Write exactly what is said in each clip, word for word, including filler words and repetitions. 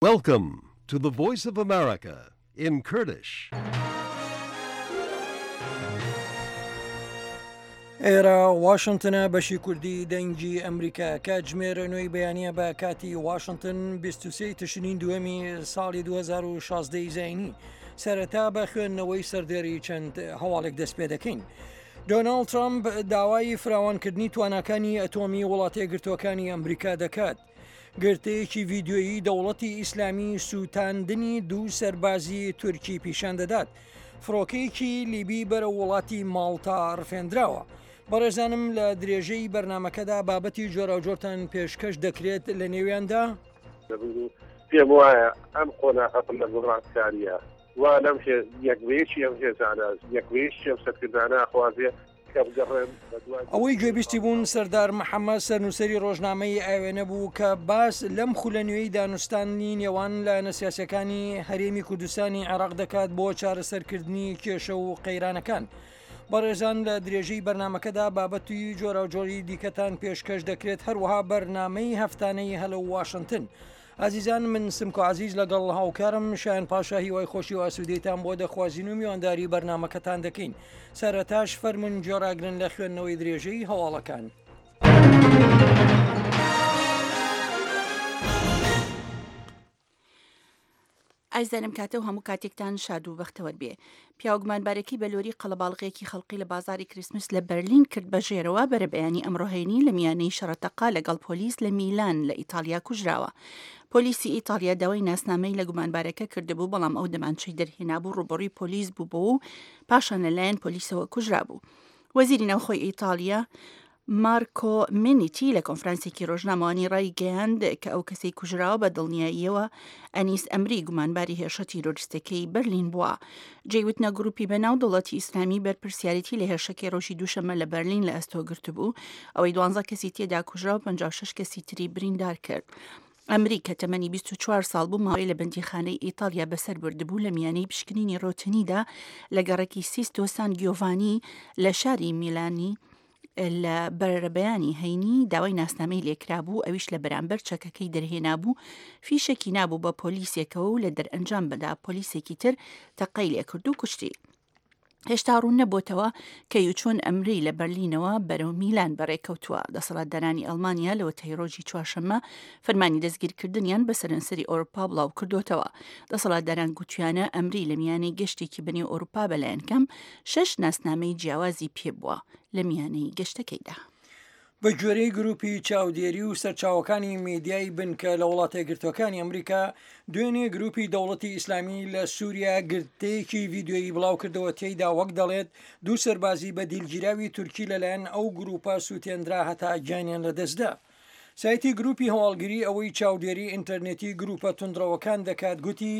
Welcome to the Voice of America in Kurdish. ئێرە واشنتنە بەشی کوردی دەنگی ئەمریکا کاتژمێر نۆی بەیانە بە کاتی واشنتن بیست و سێ تشرین دووەمی ساڵی دوو هەزار و شازدە زایینی. سەرەتا بە خوێندنەوەی سەردێری چەند هەواڵێک دەست پێ دەکەین. دۆناڵد ترامپ داوای فراوانکردنی تواناکانی ئەتۆمی وڵاتەیەکگرتووەکانی ئەمریکا دەکات. گرتەیەکی ڤیدیۆیی دەوڵەتی ئیسلامی سووتاندنی دوو سەربازی تورکی پیشان دەدات. فڕۆکەیەکی لیبی بەرەو وڵاتی ماڵتا ڕفێندراوە. بەڕێزانم لە درێژەی بەرنمەکەدا بابەتی جۆراوجۆرتان پێشکەش دەکرێت لە نێویاندا. پێم وایە ئەم قۆناغە لە گۆڕانکاریە وا لەم یەکبەیەکی ئەم هێزانە یەکبەیەکی ئەم سەرکردانە خوازێ ئەوەی گوێبیستی بوون سەردار محەممەد سەرنووسەری ڕۆژنامەی ئاوێنە بوو کە باس لەم خولە نوێی دانوستانی نێوان لایەنە سیاسەکانی هەرێمی کوردستانی عێراق دەکات بۆ چارەسەرکردنی کێشە و قەیرانەکان. بەڕێزان لە درێژەی بەرنمەکەدا بابەتی جۆراوجۆری دیکەتان پێشکەش دەکرێت، هەروەها بەرنامەی هەفتانەی هەلو واشنگتن. ئازیزان من سمکۆ عزیز لەگەڵ هاوکارم شایان پاشا هیوای خۆشی و ئاسوودەیتان بۆ دەخوازین و میوانداری بەرنمەکەتان دەکەین. سەرەتاش فەرمونون گوێڕاگرن لە خوێندنەوەی درێژەی هەواڵەکان. ئایزانم کاتە و هەموو کاتێکتان شاد و بەختەوەر بێ. پیاوگومانبارەکەی بە لۆری قەڵەباڵغێکی خەڵقی لە بازاری کریسمس لە بەرلین کرد بە ژێرەوە بەرەبەیانی ئەمڕۆ هەینی لە میانەی شەڕەتەقا لەگەڵ پۆلیس لە میلان لە ئیتالیا کوژراوە. پۆلیسی ئیتالیا داوای ناسنامەی لە گومانبارەکە کردبوو، بەڵام ئەو دەمانچەی دەرهێنابوو ڕوبەڕووی پۆلیس بوو بۆ و پاشان لەلایەن پۆلیسەوە کوژرابوو. وەزیری ناوخۆی ئیتالیا مارکۆ مینیتی لە کۆنفرانسێکی ڕۆژنامەوانی ڕایگەیاند کە ئەو کەسەی کوژراوە بە دڵنیاییەوە ئەنیس ئەمری گومانباری هێرشە تیرۆریستەکەی بەرلین بووە. جێیوتنە گروپی بەناو دەوڵەتی ئیسلامی بەرپرسیارێتی لە هێرشەکەی ڕۆژی دووشەممە لە بەرلین لە ئەستۆ گرتبوو، ئەوەی دوانزە کەسی تێدا کوژرا و پەنجا و شەش کەسی تری بریندار کرد. ئەمری کە تەمەنی بیست و چوار ساڵ بوو ماوەی لە بەندیخانەی ئیتالیا بەسەر بردبوو لە میانەی پشکنینی ڕۆتینیدا لە گەڕەکی سیستۆ سان گیۆڤانی لە شاری میلانی لە بەرەبەیانی هەینی داوای ناسنامەی لێکرابوو، ئەویش لە بەرامبەر چەکەکەی دەرهێنابوو، فیشێکی نابوو بە پۆلیسێکەوە و لە دەرئەنجام بەدا پۆلیسێکی تر تەقەی لێکرد و کوشتی. هێشتا ڕوون نەبۆتەوە کە یوچۆن ئەمری لە بەرلینەوە بەرەو میلان بەڕێکەوتووە. دەسەڵاتدارانی ئەڵمانیا لەوەتای ڕۆژی چوارشەممە فەرمانی دەستگیرکردنیان بە سەرانسەری ئەوروپا بڵاو کردوتەوە. دەسەڵاتداران گوتیانە ئەمری لە میانەی گەشتێکی بەنێو ئەوروپا بەلایەن کەم شەش ناسنامەی جیاوازی پێبووە لە میانەی گەشتەکەیدا. بە گوێرەی گروپی چاودێری و سەرچاوەکانی میدیای بنکە لە وڵاتەیەکگرتووەکانی ئەمریکا، دوێنێ گروپی دەوڵەتی ئیسلامی لە سووریا گرتەیەکی ڤیدیۆیی بڵاو کردەوە، تێیدا وەک دەڵێت دوو سەربازی بە دیلگیراوی تورکی لەلایەن ئەو گروپە سووتێنرا هەتا گیانیان لەدەستدا. سایتی گروپی هەواڵگری ئەوەی چاودێری ئینتەرنێتی گروپە توندڕەوەکان دەکات گوتی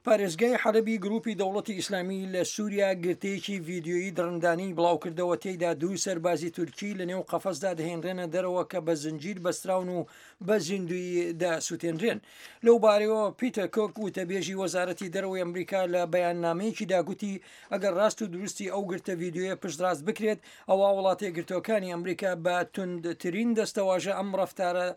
پارێزگای حەلەبی گروپی دەوڵەتی ئیسلامی لە سووریا گرتەیەکی ڤیدیۆیی دڕندانی بڵاوکردەوە، تێیدا دوو سەربازی تورکی لەنێو قەفەزدا دەهێنرێنە دەرەوە کە بە زنجیر بەستراون و بە زیندویی دەسووتێنرێن. لەو بارەیەوە پیتەر کۆک وتەبێژی وەزارەتی دەرەوەی ئەمریکا لە بەیاننامەیەکیدا گوتی ئەگەر ڕاست و دروستی ئەو گرتە ڤیدیۆیە پشتڕاست بکرێت، ئەوا وڵاتەیەکگرتووەکانی ئەمریکا بە توندترین دەستەواژە ئەم ڕەفتارە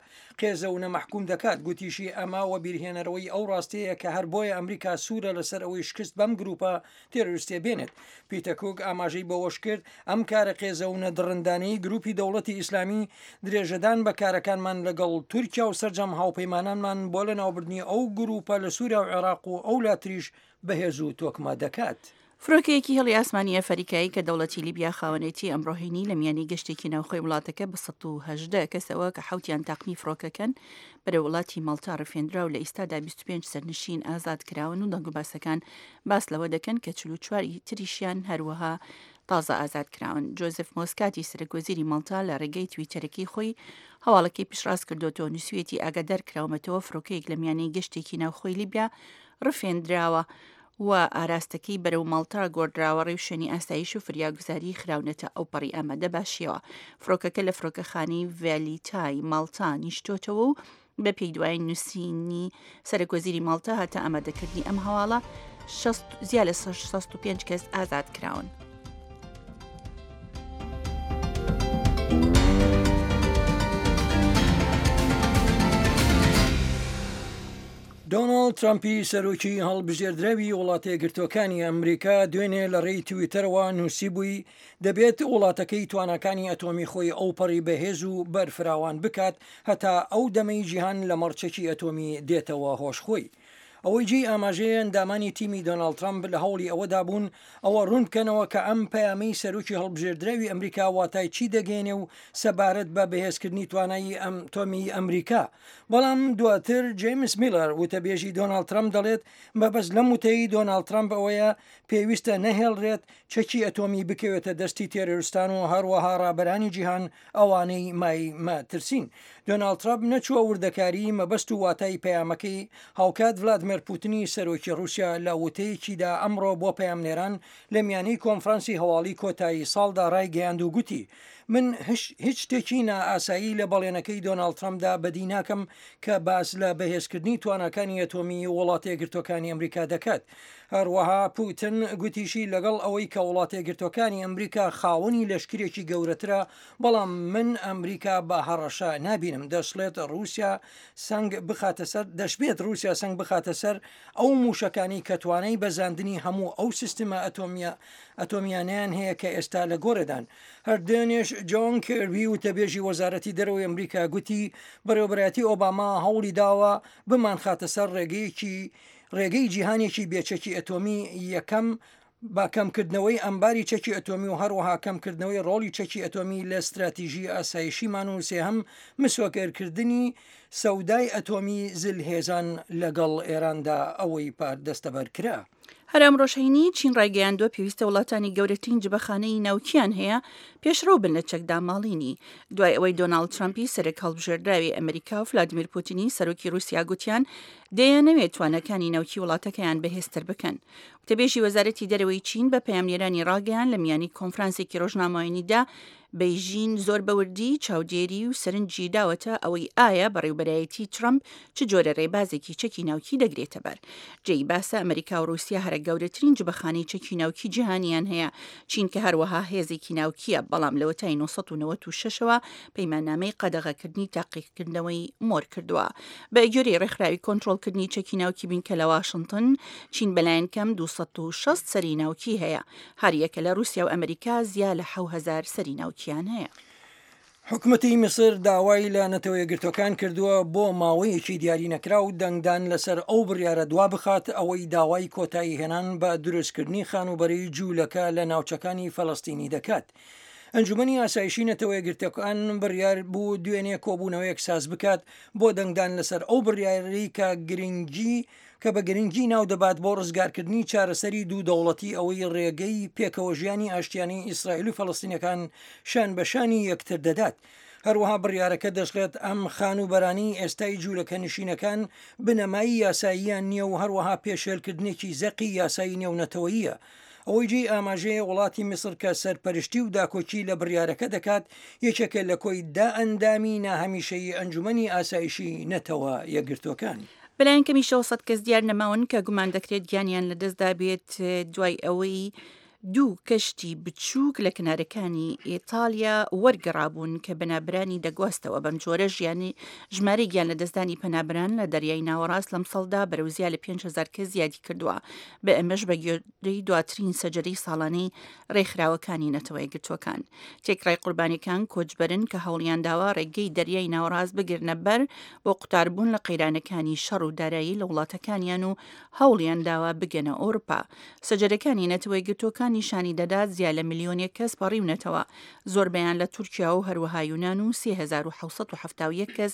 قێزەونە مەحکوم دەکات. گوتیشی ئەمە وەبیرهێنەرەوەی ئەو ڕاستەیە کە هەر بۆیە ئەمریکا سوورە لەسەر ئەوەی شکست بەم گروپە تێرۆریستیە بێنێت. پیتەر کوک ئاماژەی بەوەش کرد ئەم کارە قێزەونە دڕندانەی گروپی دەوڵەتی ئیسلامی درێژەدان بە کارەکانمان لەگەڵ تورکیا و سەرجەم هاوپەیمانانمان بۆ لەناوبردنی ئەو گروپە لە سووریا و عێراق و ئەو لاتریش بەهێز و تۆکمە دەکات. فڕۆکەیەکی هێڵی ئاسمانی ئەفریکایی کە دەوڵەتی لیبیا خاوەنێتی ئەمڕۆ هەینی لە میانی گەشتێکی ناوخۆی وڵاتەکە بە سەد و هەژدە کەسەوە کە حەوتیان تاقمی فڕۆکەکەن بەرەو وڵاتی ماڵتا ڕفێنرا و لە ئێستادا بیست و پێنج سەرنشین ئازاد کراون و دەنگوباسەکان باس لەوە دەکەن کە چل و چوار تریشیان هەروەها تازە ئازاد کراون. جۆزف مۆسکاتی سەرۆک وەزیری ماڵتا لە ڕێگەی تویتەرەکەی خۆی هەواڵەکەی پشتڕاست کردوەوە، نووسویەتی ئاگادار کراومەتەوە فڕۆکەیەک لە میانەی گەشتێکی ناوخۆی لیبیا ڕفێندراوە و ئاراستەکەی بەرەو ماڵتا گۆڕدراوە، ڕێوشوێنی ئاسایش و فریاگوزاری خراونەتە ئەو پەڕی ئامادە باشیەوە. فڕۆکەکە لە فڕۆکەخانەی ڤێلیتای ماڵتا نیشتۆتەوە و بە پێی دوای نووسینی سەرۆک وەزیری ماڵتا هاتە ئامادەکردنی ئەم هەواڵە زیاد لە شەست و پێنج کەس ئازاد کراون. دۆناڵد ترەمپی سەرۆکی هەڵبژێردراوی وڵاتەیەکگرتووەکانی ئەمریکا دوێنێ لە ڕێی تویتەرەوە نووسیبووی دەبێت وڵاتەکەی تواناکانی ئەتۆمی خۆی ئەوپەڕی بەهێز و بەرفراوان بکات هەتا ئەو دەمەی جیهان لەمەڕ چەکی ئەتۆمی دێتەوە هۆش خۆی. ئەوەی جێی ئاماژەیە ئەندامانی تیمی دۆناڵد ترەمپ لە هەوڵی ئەوەدا بوون ئەوە ڕوون بکەنەوە کە ئەم پەیامەی سەرۆکی هەڵبژێردراوی ئەمریکا واتای چی دەگەیەنێ و سەبارەت بە بەهێزکردنی توانایی ئەتۆمی ئەمریکا. بەڵام دواتر جەیمس میلەر وتەبێژی دۆناڵد ترەمپ دەڵێت مەبەست لەم وتەی دۆناڵد ترەمپ ئەوەیە پێویستە نەهێڵرێت چەکی ئەتۆمی بکەوێتە دەستی تێرۆرستان و هەروەها ڕابەرانی جیهان ئەوانەی مای مەترسین. دۆناڵد ترەمپ نەچووە وردەکاریی مەبەست و واتای پەیامەکەی، هاوکات ڤلادمێر پوتنی سەرۆکی ڕووسیا لە وتەیەکیدا ئەمڕۆ بۆ پەیامنێران لە میانەی کۆنفرانسی هەواڵی کۆتایی ساڵدا ڕایگەیاند و گوتی من هیچ شتێکی نائاسایی لە بەڵێنەکەی دۆناڵد ترەمپدا بەدی ناکەم کە باس لە بەهێزکردنی تواناکانی ئەتۆمیی وڵاتەیەکگرتووەکانی ئەمریکا دەکات. هەروەها پوتن گوتیشی لەگەڵ ئەوەی کە وڵاتەیەکگرتووەکانی ئەمریکا خاوەنی لەشکرێکی گەورەترە، بەڵام من ئەمریکا بە هەڕەشە نابینم. دەشڵێت ڕووسیا سەنگ بخاتە سەر دەشبێت ڕووسیا سەنگ بخاتە سەر ئەو مووشەکانەی کە توانای بەزاندنی هەموو ئەو سیستمە ئەتۆمیە ئەتۆمیانەیان هەیە کە ئێستا لە گۆڕێدان. هەر دوێنێش جۆن کێربی وتەبێژی وەزارەتی دەرەوەی ئەمریکا گوتی بەڕێوەبەرایەتی ئۆباما هەوڵی داوە بمانخاتە سەر ڕێگەیەکی ڕێگەی جیهانێکی بێچەکی ئەتۆمی یەکەم بە کەمکردنەوەی ئەمباری چەکی ئەتۆمی و هەروەها کەمکردنەوەی ڕۆڵی چەکی ئەتۆمی لە ستراتیژی ئاسایشیمان و سێهەم مسۆگەرکردنی سەودای ئەتۆمی زلهێزان لەگەڵ ئێراندا ئەوەی پار دەستەبەر کرا. هەر ئەمڕۆش هەینی، چین ڕایگەیاندووە پێویستە وڵاتانی گەورەترین جبەخانەی ناوکیان هەیە پێشڕەو بن لە چەکداماڵینی، دوای ئەوەی دۆناڵد ترەمپی سەرۆک هەڵبژێردراوی ئەمریکا و فلادیمیر پوتینی سەرۆکی ڕووسیا گوتیان دەیانەوێت تواناکانی ناوکی وڵاتەکەیان بەهێزتر بکەن. وتەبێژی وەزارەتی دەرەوەی چین بە پەیامنێرانی ڕاگەیان لە میانی کۆنفرانسێکی ڕۆژنامەوانیدا بەیژین زۆر بە وردی چاودێری و سەرنجی داوەتە ئەوەی ئایا بەڕێوبەرایەتی ترەمپ چ جۆرە ڕێبازێکی چەکی ناوکی دەگرێتە بەر. جێی باسە ئەمریکا و ڕووسیا هەرە گەورەترین جبەخانەی چەکی ناوکی جیهانیان هەیە، چین کە هەروەها هێزێکی ناوکییە، بەڵام لەوەتای نۆ سەد و نەوەد و شەش ەوە پەیماننامەی قەدەغەکردنی تاقیکردنەوەی مۆر کردووە. بە گوێرەی ڕێکخراوی کۆنترۆڵکردنی چەکی ناوکی بینکە لە واشنتن، چین بەلایەن کەم دوو سەد و شەست سەری ناوکی هەیە، هەریەکە لە ڕووسیا و ئەمریکا زیا لە حەو هەزار سەری ناوکیان هەیە. حکومەتی میسر داوای لە نەتەوە یەکگرتووەکان کردووە بۆ ماوەیەکی دیاری نەکراو دەنگدان لەسەر ئەو بڕیارە دوا بخات ئەوەی داوای کۆتایی هێنان بە دروستکردنی خانووبەرەی جوولەکە لە ناوچەکانی فەلەستینی دەکات. ئەنجومەنی ئاسایشی نەتەوە یەکگرتووەکان بڕیار بوو دوێنێ کۆبوونەوەیەک ساز بکات بۆ دەنگدان لەسەر ئەو بڕیارەی کە گرنگی کە بە گرنگی ناو دەبات بۆ ڕزگارکردنی چارەسەری دوو دەوڵەتی ئەوەی ڕێگەی پێکەوەژیانی ئاشتیانەی ئیسرائیل و فەلەستینەکان شان بە شانی یەکتر دەدات. هەروەها بڕیارەکە دەشڵێت ئەم خانووبەرانەی ئێستای جوولەکەنشینەکان بنەمای یاساییان نییە و هەروەها پێشێلکردنێکی زەقی یاسایی نێونەتەوەییە. ئەوەی جێی ئاماژەیە وڵاتی میسر کە سەرپەرشتی و داکۆکی لە بڕیارەکە دەکات یەکێکە لە کۆی دە ئەندامی ناهەمیشەیی ئەنجومەنی ئاسایشی نەتەوە یەکگرتووەکان. بەلایەن کەمیشەوە سەد کەس دیار نەماون کە گومان دەکرێت گیانیان لەدەستدابێت دوای ئەوەی دوو کەشتی بچووک لە کەنارەکانی ئیتالیا وەرگەڕابوون کە پەنابەرانی دەگواستەوە. بەم جۆرە ژیانی ژمارەی گیان لەدەستدانی پەنابەران لە دەریای ناوەڕاست لەمساڵدا بەرەو زیاد لە پێنج هەزار کەس زیادی کردووە، بە ئەمەش بە گوێرەی دواترین سەجەرەی ساڵانەی ڕێکخراوەکانی نەتەوە یەکگرتووەکان. تێکڕای قوربانیەکان کۆچبەرن کە هەوڵیان داوە ڕێگەی دەریای ناوەڕاست بگرنە بەر بۆ قوتاربوون لە قەیرانەکانی شەڕ و دارایی لە وڵاتەکانیان و هەوڵیان داوە بگەنە ئەوروپا. سەجەرەکانی نەتەوە یەکگرتووەکان نیشانی دەدات زیاد لە ملیۆنێک کەس پەڕیونەتەوە، زۆربەیان لە تورکیا و هەروەها یونان و سێ هەزار و حەوت سەد و حەفتا و یەک کەس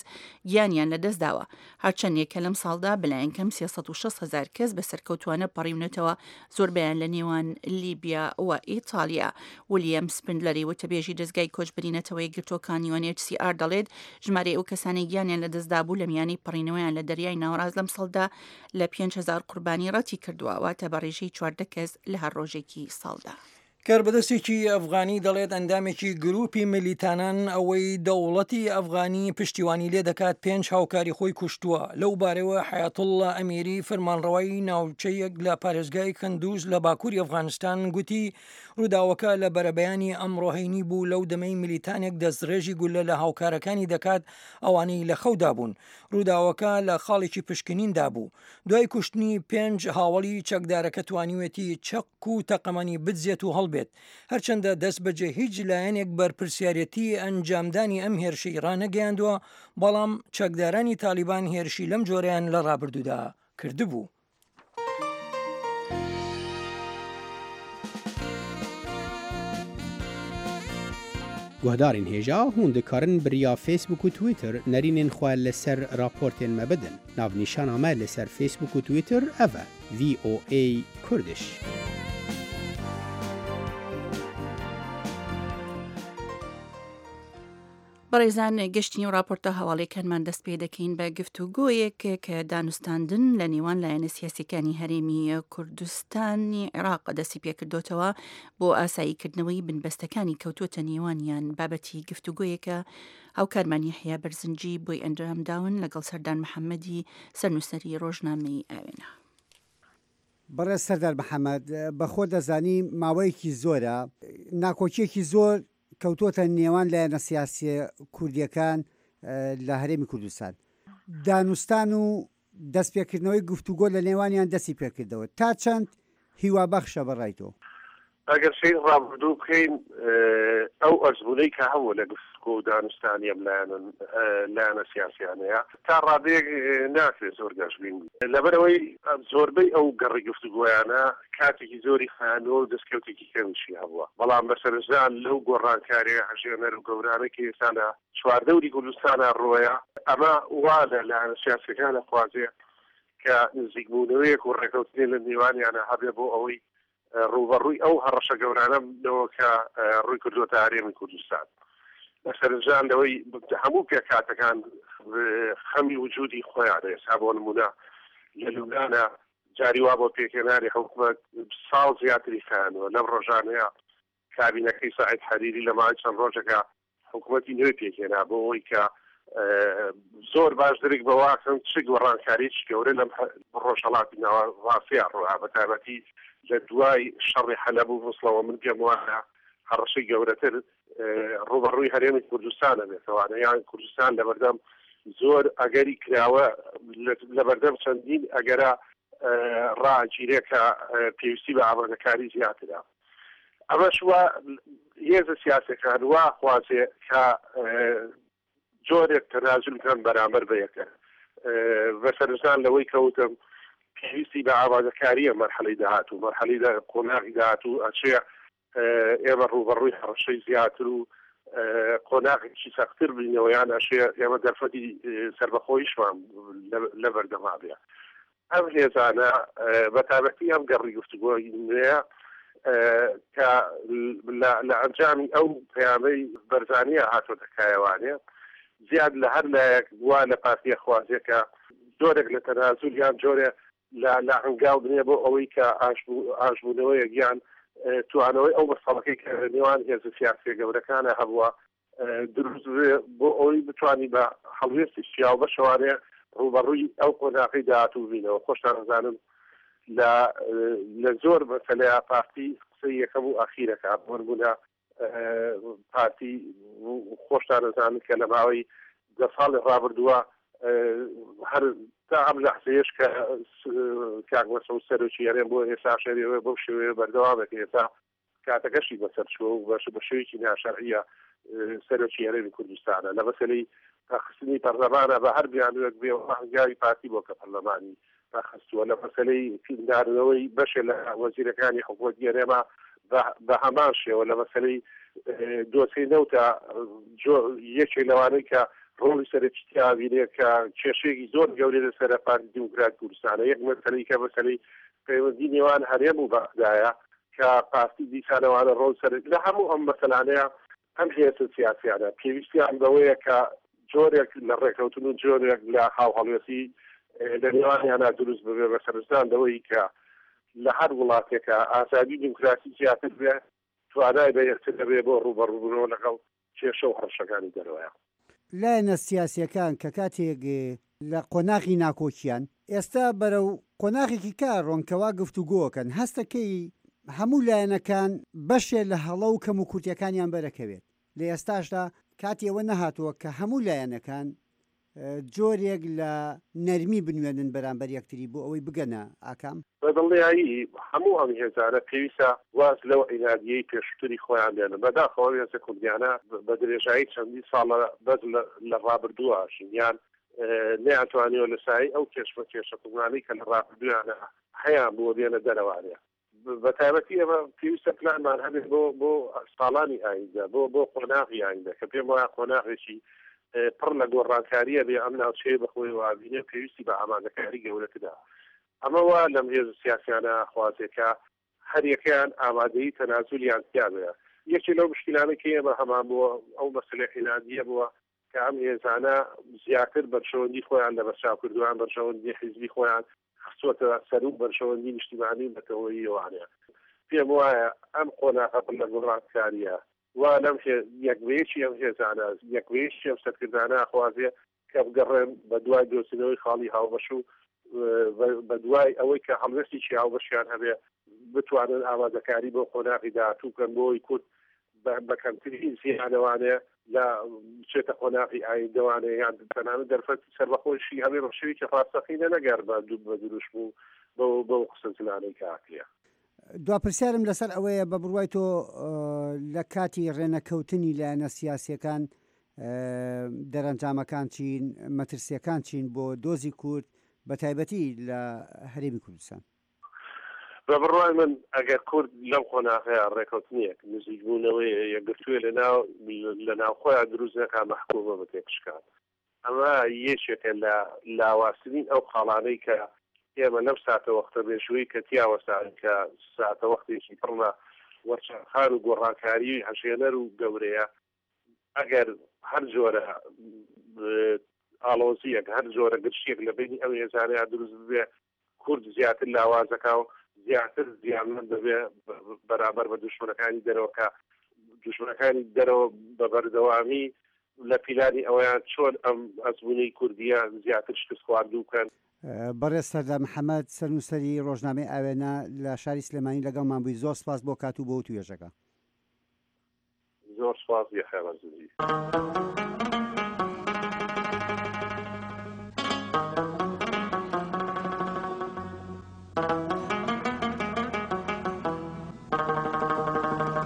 گیانیان لەدەستداوە. هەرچەندێک کە لەم ساڵدا بەلایەن کەم سێ سەد و شەست هەزار کەس بە سەرکەوتوانە پەڕیونەتەوە، زۆربەیان لە نێوان لیبیا و ئیتالیا. ولیەم سپندلەری وتەبێژی دەزگای کۆچبەری نەتەوە یەکگرتووەکان یو ئێن ئێچ سی ئار دەڵێت ژمارەی ئەو کەسانەی گیانیان لەدەستدابوو لە میانەی پەڕینەوەیان لە دەریای ناوەڕاست لەم ساڵدا لە پێنج هەزار قوربانی ڕەتی کردووە، واتە بە ڕێژەی چواردە کەس لە هەر ڕۆژێکی ساڵدا. کاربەدەستێکی ئەفغانی دەڵێت ئەندامێکی گروپی ملیتانان ئەوەی دەوڵەتی ئەفغانی پشتیوانی لێ دەکات پێنج هاوکاری خۆی کوشتووە. لەو بارەوە حەیاتوڵڵا ئەمیری فەرمانڕەوای ناوچەیەک لە پارێزگای کەندوز لە باکووری ئەفغانستان گوتی ڕووداوەکە لە بەرەبەیانی ئەمڕۆ هەینی بوو لەو دەمەی ملیتانێک دەستڕێژی گولە لە هاوکارەکانی دەکات ئەوانەی لە خەودا بوون. ڕووداوەکە لە خاڵێکی پشکنیندا بوو. دوای کوشتنی پێنج هاوڵی چەکدارەکە توانیوێتی چەک و تەقەمەنی بدزێت و هەڵبێت. هەرچەندە دەست بەجێ هیچ لایەنێک بەرپرسیارەتی ئەنجامدانی ئەم هێرشەی ڕانەگەیاندووە، بەڵام چەکدارانی تالیبان هێرشی لەم جۆرەیان لە ڕابردوودا کردبوو. Guhdarên hêja hûn dikarin bi riya Facebook û Twitter nerînên xwe li ser raportên me bidin. Navnîşana me li ser Facebook û Twitter ev e V O A Kurdish. بەڕێزان گەشتنی و راپۆرتە هەواڵیەکانمان دەست پێ دەکەین بە گفتوگۆیەک کە دانوستاندن لە نێوان لایەنە سیاسیەکانی هەرێمی کوردستانی عێراق دەستی پێکردوتەوە بۆ ئاساییکردنەوەی بنبەستەکانی کەوتووەتە نێوانیان. بابەتی گفتوگۆیەکە هاوکارمان یەحیا بەرزنجی بۆی ئەنجام داون لەگەڵ سەردار محەممەدی سەرنووسەری ڕۆژنامەی ئاوێنە. بەڕێز سەردار محەممەد، بەخۆ دەزانی ماوەیەکی زۆرە ناکۆکیەکی زۆر کەوتۆتە نێوان لایەنە سیاسیە کوردیەکان لە هەرێمی کوردستان. دانوستان و دەستپێکردنەوەی گفتوگۆ لە نێوانیان دەستی پێکردەوە تا چەند هیوابەخشە بەڕای تۆ؟ ئەگەر سەیر ڕابردوو بکەین ئەو ئەزموونەی کە هەبوو لە گفتوگۆ و دانوستانی ئەم لایەنە سیاسیانەیە تا ڕادەیەک ناکرێت زۆر گەشبین بین، لەبەرئەوەی زۆربەی ئەو گەڕی گفتوگۆیانە کاتێکی زۆری خایاندووە و دەستکەوتێکی کەمیشی هەبووە، بەڵام بەسەرنجدان لەو گۆڕانکاریە هەژێنەر و گەورانە کە ئێستا لە چواردەوری کوردستانە ڕۆیە، ئەمە وا لە لایەنە سیاسیەکان ئەخوازێ کە نزیکبوونەوەیەک و ڕێکەوتنێ لە نێوانیانە هەبێ بۆ ئەوەی ڕووبەڕووی ئەو هەڕەشە گەورانە بنەوە کە ڕووی کردووەتە هەرێمی کوردستان. بەسەرنجدان لەوەی هەموو پێکهاتەکان خەمی وجودی خۆیانە. ئێستا بۆ نمونە لە لوبنانە جاری وا بۆ پێکهێنانی حکومەت ساڵ زیاتری خایاندووە. لەم ڕۆژانەیە کابینەکەی سەعید حەریری لە ماوەی چەند ڕۆژێکە حکوومەتی نوێ پێکهێنا بۆ ئەوەی کە زۆر باش درک بەواکەن چ گۆڕانکاریی گەورە لەم ڕۆژهەڵاتی ناوەڕاستیا ڕووە، بە تایبەتی لە دوای شەڕی حەلەب و موسڵەوە. من پێم وایە هەڕەشەی گەورەتر ڕووبەڕووی هەرێمی کوردستانە بێتەوانە، یان کوردستان لەبەردەم زۆر ئەگەری کراوە، لەبەردەم چەندین ئەگەرە ڕاگیرێ کە پێویستی بە ئامادەکاری زیاترە. ئەمەش وا هێزە سیاسەکان وا خوازێ کە جۆرێک تەنازول بکەن بەرامبەر بە یەکە. بەسەرنجدان لەوەی کەوتم پێویستی بە ئامادەکاریە مەرحەلەی داهاتوو، مەرحەلەی قۆناغی داهاتوو ئەچێ ئێمە ڕووبەڕووی هەڕەشەی زیاتر و قۆناغێکی سەختتر بینەوە، یان ئەشێ ئێمە دەرفەتی سەربەخۆیشمان لەبەردەما بێ. ئەم هێزانە بە تایبەتی ئەم گەڕی گفتوگۆی نوێیە کە لە ئەنجامی ئەو پەیامەی بەرزانیە هاتۆتە کایەوانێ، زیاد لە هەر لایەک وا لە پارتیە خوازێ کە جۆرێک لە تەنازول یان جۆرێ لە هەنگاو بنێ بۆ ئەوەی کە ئاشبوونەوەیەک یان توانەوەی ئەو مەسەڵەکەی کە نێوان هێزە سیاسیە گەورەکانە هەبووە دروست بۆ ئەوەی بتوانی بە هەڵوێستی شیاو بەشەوانێ ڕووبەڕووی ئەو قۆناغی داهاتوو بینەوە. خۆشتان ئەزانن لە زۆر مەسەلەیە پارتی قسەی یەکەم و ئەخیرەکە، بۆ نمونە پارتی خۆشتان ئەزانن کە لە ماوەی دە ساڵی ڕابردووە هەر تا ئەم لەحزەیەش کە کاک مەسعود سەرۆکی هەرێم بۆ ئێستا شەرێوە بەو شێوەیە بەردەوامێت، ئێستا کاتەکەشی بەسەر چووە و بە شێوەیەکی ناشەرعیە سەرۆکی هەرێمی کوردستانە. لە مەسەلەی پەخستنی پەرلەمانە بە هەر بیانوویەک بێ هەنگاوی پارتی بۆ کە پەرلەمانی پەخستووە. لە مەسەلەی ناردنەوەی بەشێ لە وەزیرەکانی حکوومەتی هەرێمە بە هەمان شێوە. لە مەسەلەی دۆسیەی نەوتە یەکێک لەوانەی کە ڕۆڵی سەرەکی تیاوینێ کە کێشەیەکی زۆر گەورەی لەسەر پارتی دیموکرات کوردستانە. یەک مەسەلەی کە مەسەلەی پەیوەندی نێوان هەرێم و بەغدایە کە پارتی دیسانەوانە ڕۆڵ سەرەکی لە هەموو ئەم مەسەلانەیە. ئەم هێزە سیاسیانە پێویستیان بەوەیە کە جۆرێک لە ڕێکەوتن و جۆرێک لە هاوهەڵوێستی لە نێوانیانە دروست ببێ، بە سەرنجدان لەوەی کە لە هەر وڵاتێکە ئازادی دیموکراسی زیاتر بێ، توانای بەهێزتر دەبێ بۆ ڕووبەڕووبوونەوە لەگەڵ کێشە و هەڕەشەکانی دەرەوەیە. لایەنە سیاسییەکان کە کاتێک لە قۆناغی ناکۆکیان، ئێستا بەرەو قۆناغێکی کە ڕۆن کەوا گفتوگۆکەن، هەستەکەی هەموو لایەنەکان بەشێ لە هەڵە و کەموکورتیەکانیان بەرەکەوێت، لە ئێستاشدا کاتی ئەوە نەهاتووە کە هەموو لایەنەکان جۆرێک لە نەرمی بنوێنن بەرامبەر یەکتری بۆ ئەوەی بگەنە ئاکام؟ بە دڵنیایی هەموو ئەم هێزانە پێویستە واز لەو عینادییەی پێشووتری خۆیان بێنن. بەداخەوە ئەم هێزە کوردیانە بە درێژایی چەندین ساڵە بەس لە ڕابردووە ژین یان نەیانتوانیوە لە سایەی ئەو کێشمەکێشە قووڵانەی کە لە ڕابردوویانە هەیان بووە بێنە دەرەوانێ. بە تایبەتی ئێمە پێویستە پلانمان هەبێت بۆ بۆ ساڵانی ئایندە، بۆ بۆ قۆناغی ئایندە کە پێم وایە قۆناغێکی پڕ لە گۆڕانکارییە بێ ئەم ناوچەیە بە خۆیەوە ئەبینێ پێویستی بە ئامادەکاری گەورەترە. ئەمە وا لەم هێزە سیاسیانە ئەخوازێ کە هەریەکەیان ئامادەیی تەنازولیان تیا بێ. یەکێ لەو مشکیلانەی کە ئێمە هەمان بووە ئەو مەسەلەی عینادییە بووە کە ئەم هێزانە زیاتر بەرژەوەندی خۆیان لەبەرچاو کردووە یان بەرژەوەندی حیزبی خۆیان خستووەتە سەروو بەرژەوەندی نیشتیمانی و نەتەوەییەوانە. پێم وایە ئەم قۆناغە پڕ لە گۆڕانکارییە وا لەم یەک بە یەکی ئەم هێزانە، یەک بە یەکی ئەم سەرکردانە ئەخوازێ کە بگەڕێن بە دوای دۆزینەوەی خاڵی هاوبەش و بە دوای ئەوەی کە هەڵوێستێکی هاوبەشیان هەبێ بتوانن ئامادەکاری بۆ قۆناغی داهاتوو بکەن بۆ ئەوەی کورد بە کەمترین زیانەوانێ لە بچێتە قۆناغی ئایندەوانێ یان تەنانەت دەرفەتی سەربەخۆیشی هەبێ بە شێوەیەکی ڕاستەقینە نەگەر بە دروشم و بەو قسە زلانەی کە ئەکرێ. دوا پرسیارم لەسەر ئەوەیە بە بڕوای تۆ لە کاتی ڕێنەکەوتنی لایەنە سیاسیەکان دەرەنجامەکان چین، مەترسیەکان چین بۆ دۆزی کورد بە تایبەتی لە هەرێمی کوردستان؟ بە بڕوای من ئەگەر کورد لەم قۆناغەیا ڕێکەوتنێک، نزیکبوونەوەیە، یەکگرتووێ لە ناو لە ناوخۆیا دروست نەکا مەحکوومە بە تێکشکان. ئەمە یەکێکە لە لاوازترین ئەو خاڵانەی کە ئێمە لەم ساتەوەختە مێژوویی کە تیا وەستاوین کە ساتەوەختێکی پڕ لە وەرچەرخان و گۆڕانکاریی هەژێنەر و گەورەیە، ئەگەر هەر جۆرە ئاڵۆزییەک، هەر جۆرە گرژییەک لە بەینی ئەم هێزانەیا دروست ببێ، کورد زیاتر لاواز دەکا و زیاتر زیانمەند دەبێ بەرامبەر بە دوژمنەکانی دەرەوە کە دوژمنەکانی دەرەوە بە بەردەوامی لە پیلانی ئەوەیان چۆن ئەم ئەزموونەی کوردییە زیاتر شکستخواردوو بکەن. بەڕێز سەردار محەمەد، سەرنووسەری ڕۆژنامەی ئاوێنە لە شاری سلێمانی لەگەڵمان بووی، زۆر سپاس بۆ کات و بۆ وتووێژەکە. زۆر سپاس یەحیا بەرزنجی.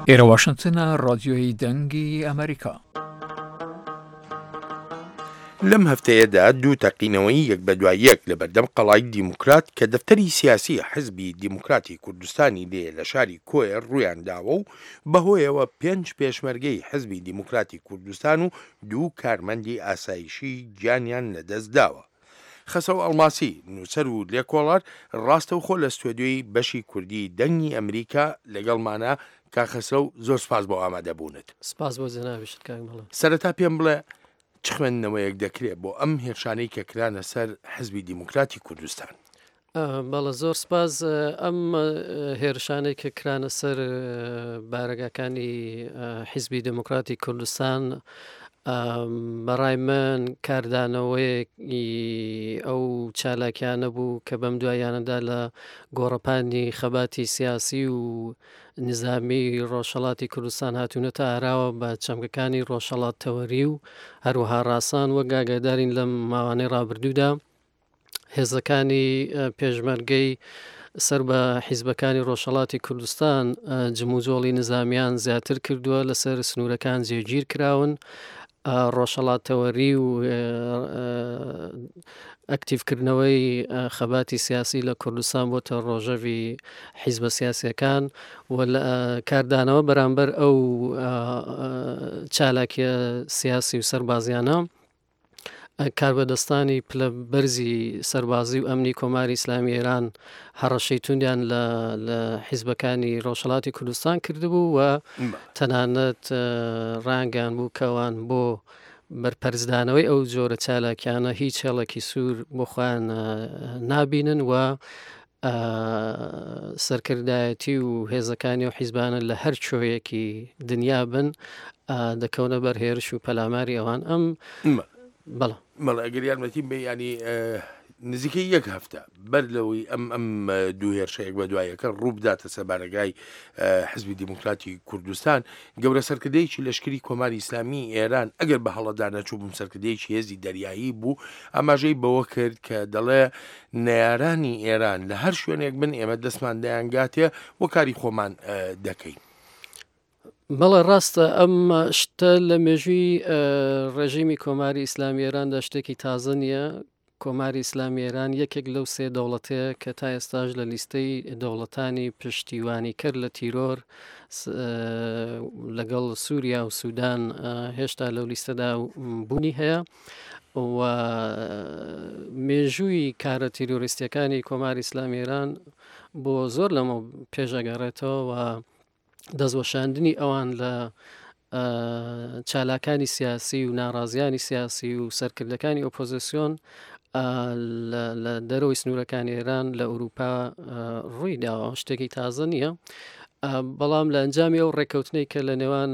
ئێرە واشنتنە، ڕادیۆی دەنگی ئەمریکا. لەم هەفتەیەدا دوو تەقینەوەی یەک بە دوای یەک لە بەردەم قەڵای دیموکرات کە دەفتەری سیاسی حزبی دیموکراتی کوردستانی لێیە لە شاری کۆیە ڕوویان داوە و بەهۆیەوە پێنج پێشمەرگەی حزبی دیموکراتی کوردستان و دوو کارمەندی ئاسایشی گیانیان لەدەست داوە. خەسرەو ئەڵماسی، نووسەر و لێکۆڵەر، ڕاستەوخۆ لە ستۆدیۆی بەشی کوردی دەنگی ئەمریکا لەگەڵمانە. کاک خەسرەو زۆر سپاس بۆ ئامادەبوونت. سپاس بۆ جەنابیشت کاک مەڵا. سەرەتا پێم بڵێ چ خوێندنەوەیەک دەکرێت بۆ ئەم هێرشانەی کە کرانە سەر حزبی دیموکراتی کوردستان؟ بەڵێ زۆر سپاس. ئەم هێرشانەی کە کرانە سەر بارەگاکانی حیزبی دێموکراتی کوردستان بەڕای من کاردانەوەیەکی ئەو چالاکیانە بوو کە بەم دواییانەدا لە گۆڕەپانی خەباتی سیاسی و نیزامی ڕۆژهەڵاتی کوردستان هاتوونەتە ئاراوە بە چەمکەکانی ڕۆژهەڵات تەوەری و هەروەها ڕاسان وەک ئاگادارین لەم ماوانەی ڕابردوودا هێزەکانی پێشمەرگەی سەر بە حیزبەکانی ڕۆژهەڵاتی کوردستان جموجۆڵی نزامیان زیاتر کردووە، لەسەر سنوورەکان جێگیر کراون، ڕۆژهەڵاتتەوەری و ئەکتیڤکردنەوەی خەباتی سیاسی لە کوردستان بۆتە ڕۆژەڤی حیزبە سیاسیەکان و لە کاردانەوە بەرامبەر ئەو چالاکیە سیاسی و سەربازیانە کاربەدەستانی پلە بەرزی سەربازی و ئەمنی کۆماری ئیسلامی ئێران هەڕەشەی توندیان لە لە حیزبەکانی ڕۆژهەڵاتی کوردستان کردبوو و تەنانەت ڕانگەیان بوو کەوان بۆ بەرپەرچدانەوەی ئەو جۆرە چالاکیانە هیچ هێڵێکی سوور بۆ خۆیان نابینن و سەرکردایەتی و هێزەکانی و حیزبانە لە هەر کوێیەکی دنیا بن دەکەونە بەر هێرش و پەلاماری ئەوان. ئەم بەڵێ بەڵێ ئەگەر یارمەتیم بێ، ینی نزیکەی یەک هەفتە بەر لەوەی ئەم ئەم دوو هێرشەیەک بە دوایەکە ڕوو بداتە سەر بارەگای حزبی دیموکراتی کوردستان، گەورە سەرکردەیەکی لەشکری کۆماری ئیسلامی ئێران ئەگەر بە هەڵەدا نەچووبم سەرکردەیەکی هێزی دەریایی بوو، ئاماژەی بەوە کرد کە دەڵێ نەیارانی ئێران لە هەر شوێنێک بن ئێمە دەستمان دەیانگاتێ و کاری خۆمان دەکەین. بەڵێ ڕاستە، ئەم شتە لە مێژووی ڕێژیمی کۆماری ئیسلامی ئێراندا شتێکی تازە نییە. کۆماری ئیسلامی ئێران یەکێک لەو سێ دەوڵەتەیە کە تا ئێستاش لە لیستەی دەوڵەتانی پشتیوانی کرد لە تیرۆر لەگەڵ سووریا و سوودان هێشتا لەو لیستەدا بوونی هەیە و مێژووی کارە تیرۆریستیەکانی کۆماری ئیسلامی ئێران بۆ زۆر لەمە پێشەگەڕێتەوە و دەستوەشاندنی ئەوان لە چالاکانی سیاسی و ناڕازیانی سیاسی و سەرکردەکانی ئۆپۆزیسیۆن لە دەرەوەی سنوورەکانی ئێران لە ئەوروپا ڕووی داوە، شتێکی تازە نییە. بەڵام لە ئەنجامی ئەو ڕێککەوتنەی کە لە نێوان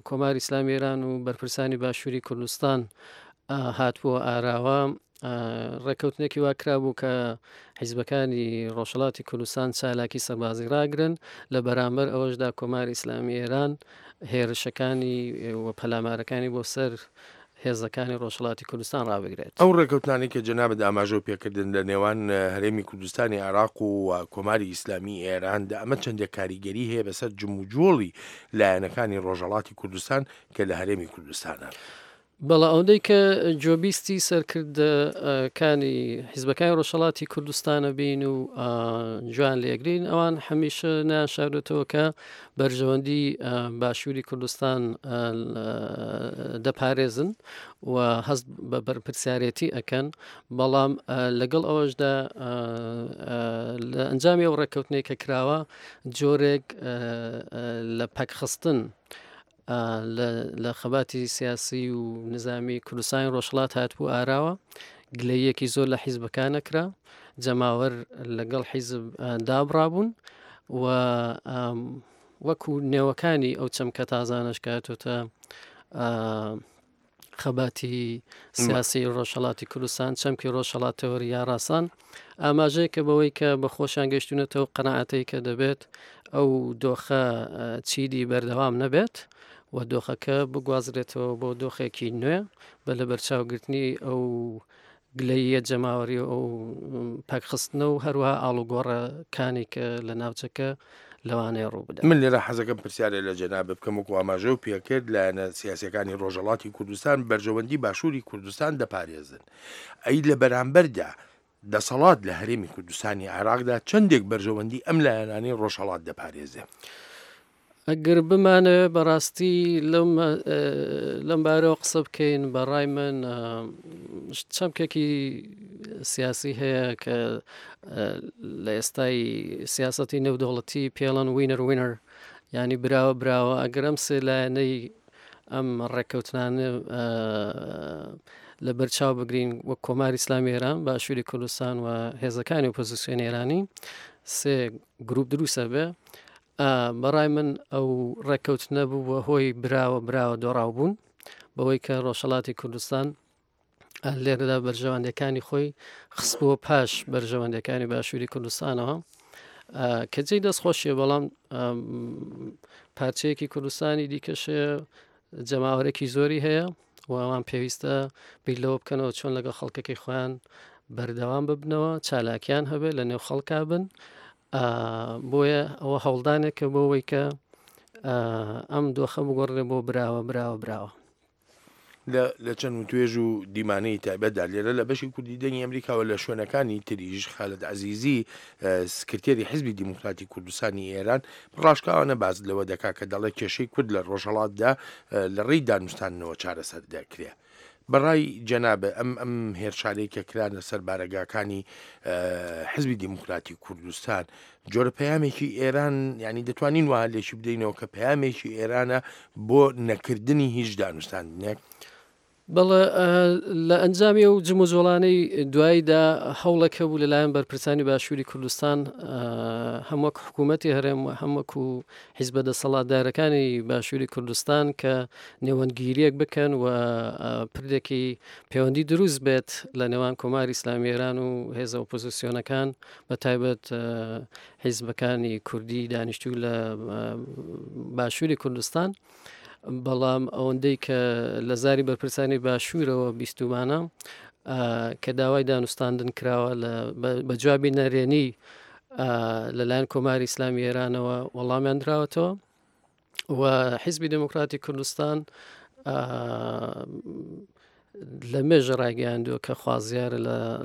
کۆماری ئیسلامی ئێران و بەرپرسانی باشووری کوردستان هاتبووە ئاراوە، ڕێککەوتنێکی وا کرابوو کە حیزبەکانی ڕۆژهەڵاتی کوردستان چالاکی سەربازی ڕاگرن، لە بەرامبەر ئەوەشدا کۆماری ئیسلامی ئێران هێرشەکانی و پەلامارەکانی بۆ سەر هێزەکانی ڕۆژهەڵاتی کوردستان ڕابگرێت. ئەو ڕێککەوتنانەی کە جەنابت ئاماژە پێکردن لە نێوان هەرێمی کوردستانی عێراق و کۆماری ئیسلامی ئێراندا، ئەمە چەندێک کاریگەری هەیە بەسەر جموجۆڵی لایەنەکانی ڕۆژهەڵاتی کوردستان کە لە هەرێمی کوردستانە؟ بەڵێ، ئەوەندەی کە جۆبیستی سەرکردەکانی حیزبەکانی ڕۆژهەڵاتی کوردستانە بین و جوان لێگرین، ئەوان هەمیشە ناشارێتەوە کە بەرژەوەندی باشووری کوردستان دەپارێزن و هەست بە بەرپرسیارێتی ئەکەن. بەڵام لەگەڵ ئەوەشدا لە ئەنجامی ئەو ڕێککەوتنەی کە کراوە جۆرێک لە پەکخستن لە خەباتی سیاسی و نظامی کوردستانی ڕۆژهەڵات هاتبوو ئاراوە، گلەیەکی زۆر لە حیزبەکانە کرا، جەماوەر لەگەڵ حیزب دابڕابوون و وەکو نێوەکانی ئەو چەمکە تازانەش کە هاتۆتە خەباتی سیاسی ڕۆژهەڵاتی کوردستان، چەمکی ڕۆژهەڵاتەوەری یا ڕاسان، ئاماژەیەکە بەوەی کە بە خۆشیان گەیشتونەتەوە قەناعەتەی کە دەبێت ئەو دۆخە چیدی بەردەوام نەبێت و دۆخەکە بگوازرێتەوە بۆ دۆخێکی نوێ بە لەبەرچاوگرتنی ئەو گلەییە جەماوەری و ئەو پەکخستنە و هەروەها ئاڵوگۆڕەکانی کە لە ناوچەکە لەوانەیە ڕوو بدات. من لێرە حەزەکەم پرسیارێ لە جەناب بکەم، وەکو ئاماژە و پێکرد لایەنە سیاسیەکانی ڕۆژهەڵاتی کوردستان بەرژەوەندی باشووری کوردستان دەپارێزن، ئەی لە بەرامبەردا دەسەڵات لە هەرێمی کوردستانی عێراقدا چەندێک بەرژەوەندی ئەم لایەنانەی ڕۆژهەڵات دەپارێزێ؟ ئەگەر بمانەوێ بەڕاستی لەم بارەوە قسە بکەین، بەڕای من چەمکێکی سیاسی هەیە کە لە ئێستای سیاسەتی نێودەوڵەتی پێڵەن وینەر وینەر، ینی براوە براوە. ئەگەر ئەم سێ لایەنەی ئەم ڕێککەوتنانە لە بەرچاو بگرین وەک کۆماری ئیسلامی ئێران، باشووری کوردستان و هێزەکانی ئۆپۆزیسیۆنی ئێرانی، سێ گروپ دروستە بێ. بەڕای من ئەو ڕێککەوتنە بوو بە هۆی براوە براوە دۆڕاو بوون، بەوەی کە ڕۆژهەڵاتی کوردستان لێرەدا بەرژەوەندەکانی خۆی خستبووە پاش بەرژەوەندەکانی باشووری کوردستانەوە کە جێی دەستخۆشیە، بەڵام پارچەیەکی کوردستانی دیکەشەیە جەماوەرێکی زۆری هەیە و ئەوان پێویستە بیر لەوە بکەنەوە چۆن لەگەڵ خەڵکەکەی خۆیان بەردەوام ببنەوە، چالاکیان هەبێت، لە نێو خەڵکا بن. بۆیە ئەوە هەوڵدانێکە بۆ ئەوەی کە ئەم دۆخە بگۆڕێ بۆ براوە براوە براوە. لە چەند وتوێژ و دیمانەی تایبەتدا لێرە لە بەشی کوردی دەنگی ئەمریکاوە لە شوێنەکانی تریش خالد عەزیزی سکرتێری حیزبی دیموکراتی کوردستانی ئێران ڕاشکاوانە باز لەوە دەکا کە دەڵێ کێشەی کورد لە ڕۆژهەڵاتدا لە ڕێی دانوستاندنەوە چارەسەر دەکرێت. بەڕای جەنابە ئەم ئەم هێرشانەی کە کرانە سەر بارەگاکانی حزبی دیموکراتی کوردستان جۆرە پەیامێکی ئێران، ینی دەتوانین وها لێکی بدەینەوە کە پەیامێکی ئێرانە بۆ نەکردنی هیچ دانوستاندنێک؟ بەڵێ، لە ئەنجامی ئەو جموجۆڵانەی دواییدا هەوڵێک هەبوو لەلایەن بەرپرسانی باشووری کوردستان، هەم وەک حکوومەتی هەرێم و هەم وەکو حیزبە دەسەڵاتدارەکانی باشووری کوردستان کە نێوەندگیریەک بکەن و پردێکی پەیوەندی دروست بێت لە نێوان کۆماری ئیسلامی ئێران و هێزە ئۆپۆزیسیۆنەکان، بە تایبەت حیزبەکانی کوردی دانیشتوو لە باشووری کوردستان. بەڵام ئەوەندەی کە لە زاری بەرپرسانی باشوورەوە بیستومانە کە داوای دانوستاندن کراوە بە جوابی نەرێنی لەلایەن کۆماری ئیسلامی ئێرانەوە وەڵامیان دراوەتەوە و حیزبی دێموکراتی کوردستان لە مێژە ڕایگەیاندووە کە خوازیارە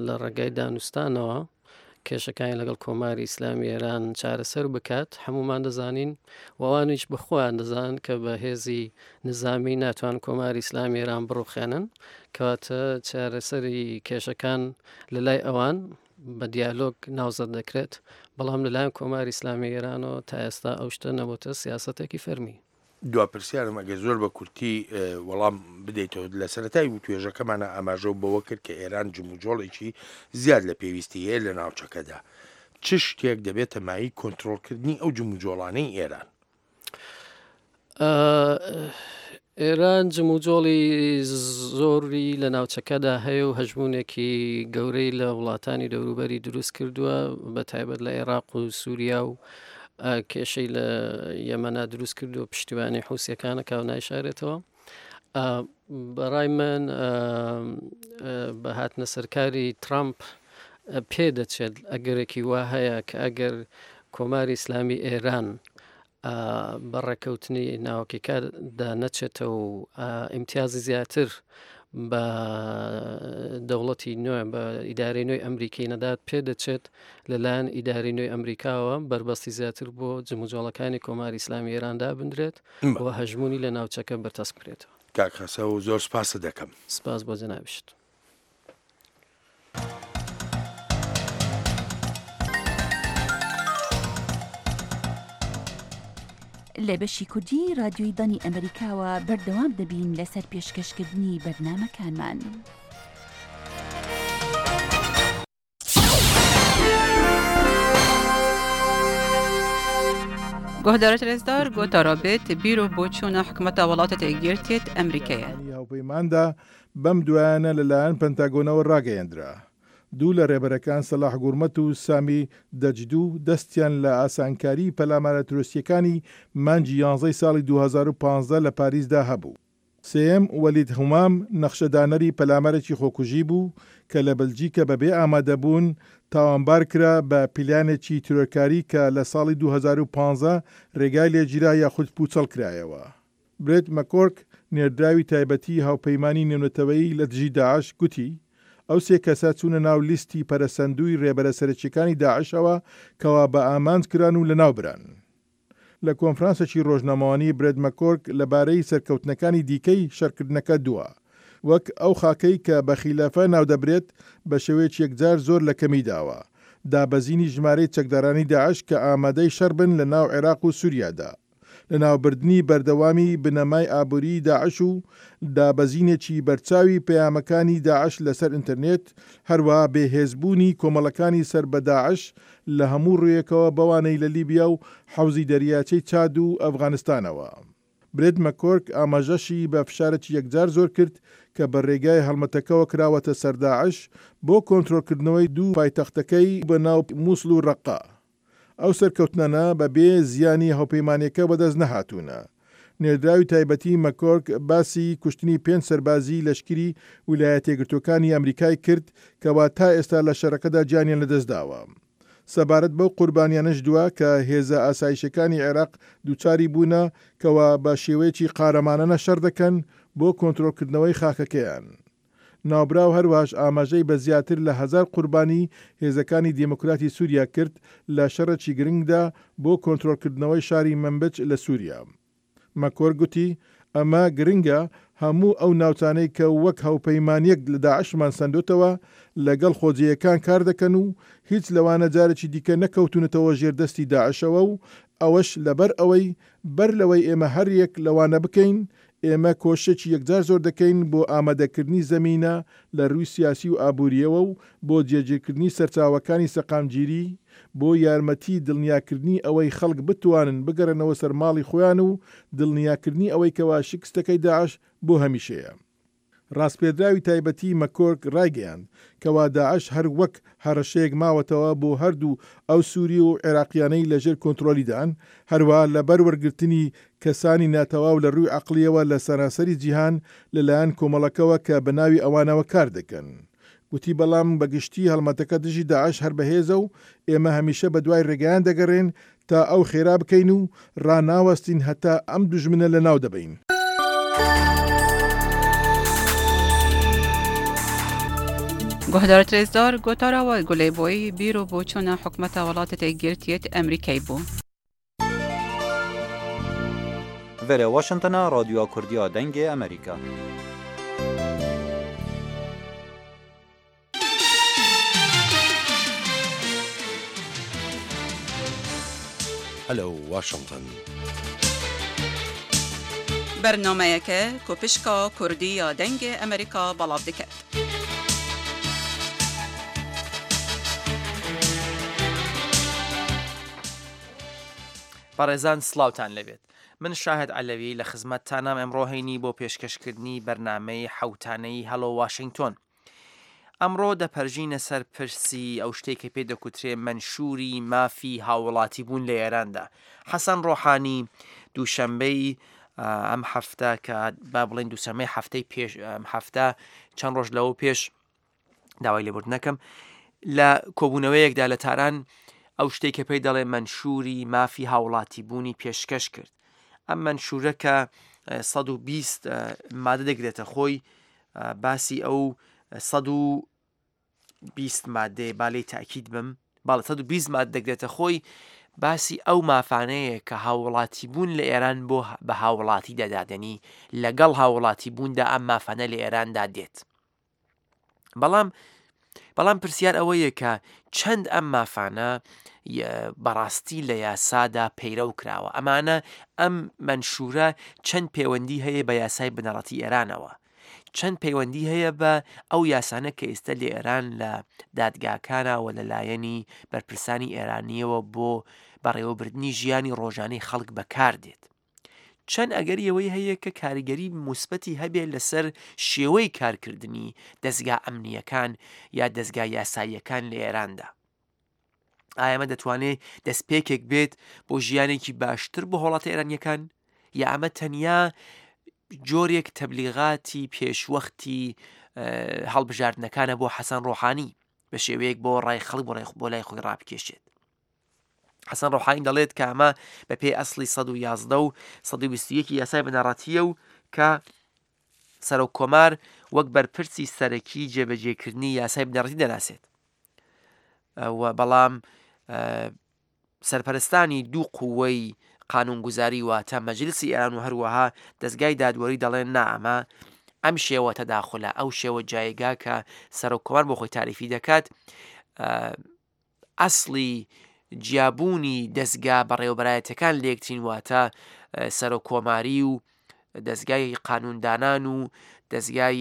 لە ڕێگای دانوستانەوە کێشەکانی لەگەڵ کۆماری ئیسلامی ئێران چارەسەر بکات. هەمومان دەزانین و ئەوانیش بە خۆیان دەزانن کە بە هێزی نظامی ناتوان کۆماری ئیسلامی ئێران بڕوخێنن، کەواتە چارەسەری کێشەکان لە لای ئەوان بە دیالۆگ ناوزەد دەکرێت، بەڵام لەلایەن کۆماری ئیسلامی ئێرانەوە تا ئێستا ئەو شتە نەبووتە سیاسەتێکی فەرمی. دوا پرسیارم ئەگەر زۆر بە کورتی وەڵام بدەیتەوە، لە سەرەتای وتوێژەکەمانە ئاماژە بەوە کرد کە ئێران جموجۆڵێکی زیاد لە پێویستی هەیە لە ناوچەکەدا، چ شتێک دەبێتە مایەی کۆنترۆڵکردنی ئەو جموجۆڵانەی ئێران؟ ئێران جموجۆڵی زۆری لە ناوچەکەدا هەیە و هەژمونێکی گەورەی لە وڵاتانی دەوروبەری دروست کردووە، بە تایبەت لە عێراق و سووریا و کێشەی لە یەمەنا دروست کردو پشتیوانی حوسیەکانە کاو نایشارێتەوە. بەڕای من بە هاتنە سەرکاری ترامپ پێدەچێت ئەگەرێکی وا هەیە کە ئەگەر کۆماری ئیسلامی ئێران بە ڕێککەوتنی ناوەکیکاردا نەچێتەوە و ئیمتیازی زیاتر بە دەوڵەتی نوێ بە ئیدارەی نوێی ئەمریکی نەدات، پێدەچێت لەلایەن ئیدارەی نوێی ئەمریکاوە بەربەستی زیاتر بۆ جموجۆڵەکانی کۆماری ئیسلامی ئێراندا بندرێت و هەژمونی لە ناوچەکە بەرتەسک بکرێتەوە. کاک خەسەو زۆر سپاست دەکەم. سپاس بۆ جەنابیشت. لە بەشی کوردی رادیۆی دەنگی ئەمریکاوە بەردەوام دەبین لەسەر پێشکەشکردنی بەرنامەکانمان. گۆهدارت رێزدار گۆتارا بێت بیر و بۆچوونە حکومەتە وڵاتە یەکگرتیت ئەمریکایە. هاوپەیماندا بەم دوایانە لەلایەن پەنتاگۆنەوە ڕاگەیەندرا. دوو لە ڕێبەرەکان سەلاح گورمەت و سامی دەجدو دەستیان لە ئاسانکاری پەلامارە ترۆریستیەکانی مانگی یانزەی ساڵی دوو هەزار و پازدە لە پاریسدا هەبوو. سێیەم وەلید هومام نەخشەدانەری پەلامارێکی خۆکوژی بوو کە لە بەلجیکە بەبێ ئامادەبوون تاوانبار کرا بە پیلانێکی تیرۆرکاری کە لە ساڵی دوو هەزار و پازدە ڕێگای لێگیرا یاخود پوچەڵ کرایەوە. برێت مەکۆرک نێردراوی تایبەتی هاوپەیمانی نێونەتەوەیی لە دژی داعش گوتی ئەو سێ کەسە چوونە ناو لیستی پەرەسەندووی ڕێبەرە سەرەکیەکانی داعشەوە کەوا بە ئامانج کران و لەناو بران. لە کۆنفرانسێکی ڕۆژنامەوانی برێت مەکۆرک لەبارەی سەرکەوتنەکانی دیکەی شەڕکردنەکە دووە، وەک ئەو خاکەی کە بە خیلافە ناودەبرێت بە شێوەیەکی یەکجار زۆر لە کەمی داوە، دابەزینی ژمارەی چەکدارانی داعش کە ئامادەی شەڕ بن لە ناو عێراق و سووریادا، لەناوبردنی بەردەوامی بنەمای ئابووریی داعش و دابەزینێکی بەرچاوی پەیامەکانی داعش لەسەر ئینتەرنێت، هەروەها بێهێزبوونی کۆمەڵەکانی سەر بە داعش لە هەموو ڕوویەکەوە بەوانەی لە لیبیا و حەوزی دەریاچەی چاد و ئەفغانستانەوە. برێت مەکۆرک ئاماژەشی بە فشارێکی یەکجار زۆر کرد کە بە ڕێگای هەڵمەتەکەوە کراوەتە سەر داعش بۆ کۆنترۆڵکردنەوەی دوو پایتەختەکەی بە ناو موسڵ و ڕەققە. ئەو سەرکەوتنانە بە بێ زیانی هاوپەیمانیەکە بەدەست نەهاتوونە. نێردراوی تایبەتی مەکۆرک باسی کوشتنی پێنج سەربازی لەشکری ویلایەتە یەکگرتووەکانی ئەمریکای کرد کەوا تا ئێستا لە شەڕەکەدا گیانیان لەدەستداوە. سەبارەت بەو قوربانیانەش دوا کە هێزە ئاسایشەکانی عێراق دووچاری بوونە کەوا بە شێوەیەکی قارەمانانە شەڕ دەکەن بۆ کۆنترۆڵکردنەوەی خاکەکەیان. ناوبراو هەروەهاش ئاماژەی بە زیاتر لە هەزار قوربانی هێزەکانی دێموکراتی سووریا کرد لە شەڕێکی گرنگدا بۆ کۆنترۆڵکردنەوەی شاری مەنبج لە سووریا. مەکۆرک گوتی، ئەمە گرنگە، هەموو ئەو ناوچانەی کە وەک هاوپەیمانییەک لە داعشمان سەندۆتەوە لەگەڵ خۆجێیەکان کار دەکەن و هیچ لەوانە جارێکی دیکە نەکەوتوونەتەوە ژێر دەستی داعشەوە و ئەوەش لەبەر ئەوەی بەر لەوەی ئێمە هەر یەک لەوانە بکەین ئێمە کۆششێکی یەکجار زۆر دەکەین بۆ ئامادەکردنی زەمینە لە رووی سیاسی و ئابوورییەوە و بۆ جێگیرکردنی سەرچاوەکانی سەقامگیری بۆ یارمەتی دڵنیاکردنی ئەوەی خەڵک بتوانن بگەڕێنەوە سەر ماڵی خۆیان و دڵنیاکردنی ئەوەی کەوا شکستەکەی داعش بۆ هەمیشەیە. ڕاسپێردراوی تایبەتی مەکۆرک ڕایگەیاند کەوا داعش هەر وەک هەڕەشەیەک ماوەتەوە بۆ هەردوو ئەو سوری و عێراقیانەی لەژێر کۆنترۆلیدان، هەروەها لەبەر وەرگرتنی کەسانی ناتەواو لە ڕووی عەقڵیەوە لە سەرانسەری جیهان لەلایەن کۆمەڵەکەوە کە بەناوی ئەوانەوە کار دەکەن. گوتی بەڵام بە گشتی هەڵمەتەکە دژی داعش هەر بەهێزە و ئێمە هەمیشە بەدوای ڕێگایان دەگەڕێین تا ئەو خێرا بکەین و ڕاناوەستین هەتا ئەم دوژمنە لەناو دەبەین. گوهدارت رێزدار گۆتارا وە گولەی بۆی بیر و بۆچوونە حکومەتە وڵاتە یەکگرتیەت ئەمریکای بوو. Vere Washingtona Radyoya Kurdiya Dengê Amerîka. Hello Washington. بەرنامەیەکە کو پشکا کوردی یا دەنگێ ئەمریکا بەڵاv دکەت. بەڕێزان سڵاوتان لەبێت. من شاهد عەلەوی لە خزمەتتانام ئەمڕۆ هەینی بۆ پێشکەشکردنی بەرنامەی حەوتانەی هەڵۆ واشنگتۆن. ئەمڕۆ دەپەرژینە سەر پرسی ئەو شتێک کە پێ دەکوترێ مەنشووری مافی هاووڵاتی بوون لە ئێراندا. حەسەن ڕۆحانی دووشەنبەی ئەم هەفتە کە با بڵێن دووشەممەی هەفتەی پێش ئەم هەفتە چەند ڕۆژ لەوە پێش داوای لێبوردن نەکەم لە کۆبوونەوەیەکدا لە تاران ئەو شتێک کە پێی دەڵێ مەنشووری مافی هاوڵاتی بوونی پێشکەش کرد. ئەم مەنشوورە کە سەد و بیست مادە دەگرێتە خۆی باسی ئەو سەد و بیست مادەیە با لێی تاکید بم باڵە سەد و بیست مادە دەگرێتە خۆی باسی ئەو مافانەیە کە هاوڵاتی بوون لە ئێران بۆ بە هاوڵاتی دەدادنی لەگەڵ هاوڵاتی بووندا ئەم مافانە لە ئێراندا دێت. بەڵام بەڵام پرسیار ئەوەیە کە چەند ئەم مافانە بەڕاستی لە یاسادا پەیرەو کراوە. ئەمانە ئەم مەنشوورە چەند پەیوەندی هەیە بە یاسای بنەڕەتی ئێرانەوە، چەند پەیوەندی هەیە بە ئەو یاسانە کە ئێستا لە ئێران لە دادگاکانەوە لەلایەنی بەرپرسانی ئێرانیەوە بۆ بەڕێوەبردنی ژیانی ڕۆژانەی خەڵک بەکار دێت. چەند ئەگەری ئەوەی هەیە کە کاریگەری موسبەتی هەبێت لەسەر شێوەی کارکردنی دەستگا ئەمنیەکان یا دەستگا یاساییەکان لە ئێراندا. ئایا ئەمە دەتوانێت دەستپێکێک بێت بۆ ژیانێکی باشتر بۆ هاوڵاتە ئێرانیەکان یا ئەمە تەنیا جۆرێک تەبلیغاتی پێشوەختی هەڵبژاردنەکانە بۆ حەسەن ڕۆحانی بە شێوەیەک بۆ ڕای خەڵک بۆ لای خۆی ڕابکێشێت. حەسەن ڕۆحانی دەڵێت کە ئەمە بە پێی ئەسڵی سەد و یازدە و سەد و بیست و یەکی یاسای بنەڕەتیە و کە سەرۆک کۆمار وەک بەرپرسی سەرەکی جێبەجێکردنی یاسای بنەڕەتی دەناسێت. و بەڵام سەرپەرستانی دوو قووەی قانونگوزاری واتە مەجلسی ئێران و هەروەها دەستگای دادوەری دەڵێن نا ئەمە ئەم شێوە تەداخلە، ئەو شێوە جایگا کە سەرۆک کۆمار بۆ خۆی تاریفی دەکات ئەسڵی جیابوونی دەستگا بەڕێوەبەرایەتەکان لێکترین واتە سەرۆک کۆماری و دەستگای قانوندانان و دەستگای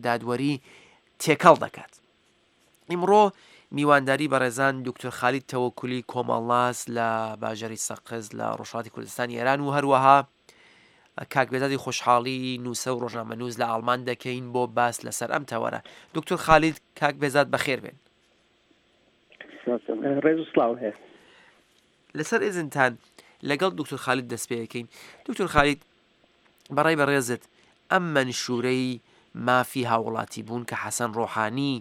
دادوەری تێکەڵ دەکات. ئیمڕۆ میوانداری بەڕێزان دکتۆر خالید تەوەکولی کۆمەڵناس لە باژەری سەقز لە ڕۆژهەڵاتی کوردستانی ئێران و هەروەها کاک بێزادی خۆشحاڵی نووسە و ڕۆژنامەنووس لە ئاڵمان دەکەین بۆ باس لەسەر ئەم تەوەرە. دکتۆر خالید، کاک بێزاد بەخێر بێن. ڕێز و سڵاو هەیە. لەسەر ئێزنتان لەگەڵ دکتۆر خالید دەست پێ ئەکەین. دکتۆر خالید، بەڕای بەڕێزت ئەم مەنشوورەی مافی هاوڵاتی بوون کە حەسەن ڕۆحانی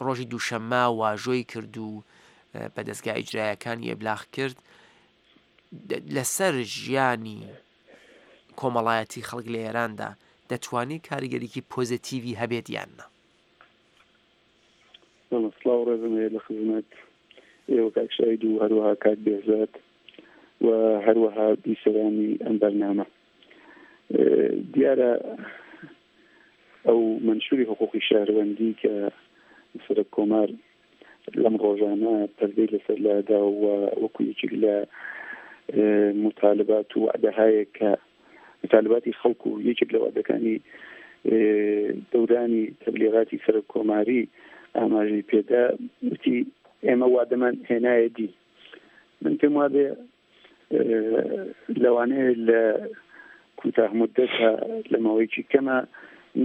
ڕۆژی دووشەممە واژۆی کرد و بە دەستگا ئیجرایەکانی ئێبلاغ کرد لەسەر ژیانی کۆمەڵایەتی خەڵک لە ئێراندا دەتوانێت کاریگەریکی پۆزیتیڤی هەبێت یان نا؟ بەڵێ، سڵاو ڕێزم هەیە لە خزمەت ئێوە کاک شاهید و هەروەها کاک بێهزاد و هەروەها بیسەرانی ئەم بەرنامە. دیارە ئەو مەنشووری حقوقی شەهروەندی کە سەرۆک کۆمار لەم ڕۆژانە پەردەی لەسەر لادا و وەکو یەکێک لە موتالبات و وعدەهایەک کە مطالباتی خەڵک و یەکێک لە وعدەکانی دەورانی تەبلیغاتی سەرۆک کۆماری ئاماژەی پێدا وتی ئێمە وادەمان هێنایە دی. من پێم وابێ لەوانەیە لە کوتاه مدەتە لە ماوەیەکی کەمە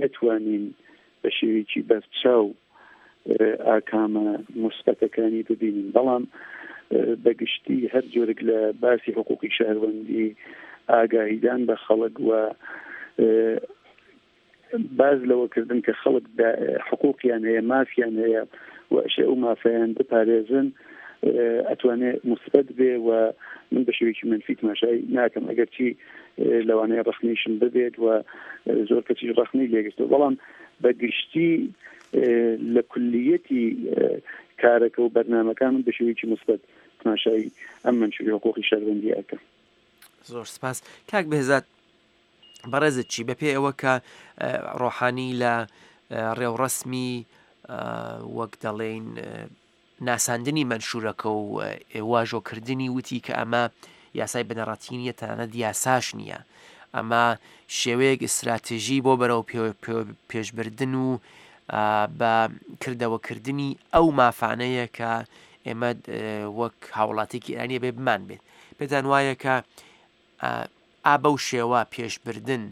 نەتوانین بە شێوەیەکی بەرچاو ئاکامە موسبەتەکانی ببینین، بەڵام بەگشتی هەر جۆرێک لە باسی حقوقی شەهروەندی ئاگاهیدان بە خەڵک و باز لەوەکردن کە خەڵک حقوقیان هەیە، مافیان هەیە و ئەشێ ئەو مافیان بپارێزن، ئەتوانێت موسبەت بێ و من بە شێوەیەکی منفی تماشای ناکەم، ئەگەرچی لەوانەیە ڕەخنەیشم ببێت و زۆر کەسیش ڕەخنەی لێگرتەوە، بەڵام بەگشتی لە کولیەتی کارەکە و بەرنامەکان من بە شێوەیەکی موسبەت تماشای ئەم مەنشووری حقوقی شەهروەندی ئەکەم. زۆر سپاس. کاک بێهزاد، بەڕێزت چی بەپێ ئەوە کە ڕۆحانی لە ڕێوڕەسمی وەک دەڵێین ناساندنی مەنشوورەکە و واژۆکردنی وتی کە ئەمە یاسای بنەڕەتی نییە، تەنانەت یاساش نییە، ئەمە شێوەیەک ئیستراتژی بۆ بەرەو پێشبردن و بە کردەوەکردنی ئەو مافانەیە کە ئێمە وەک هاوڵاتێکی ئێرانیە بێ بمان بێت. پێتان وایە کە ئا بەو شێوە پێشبردن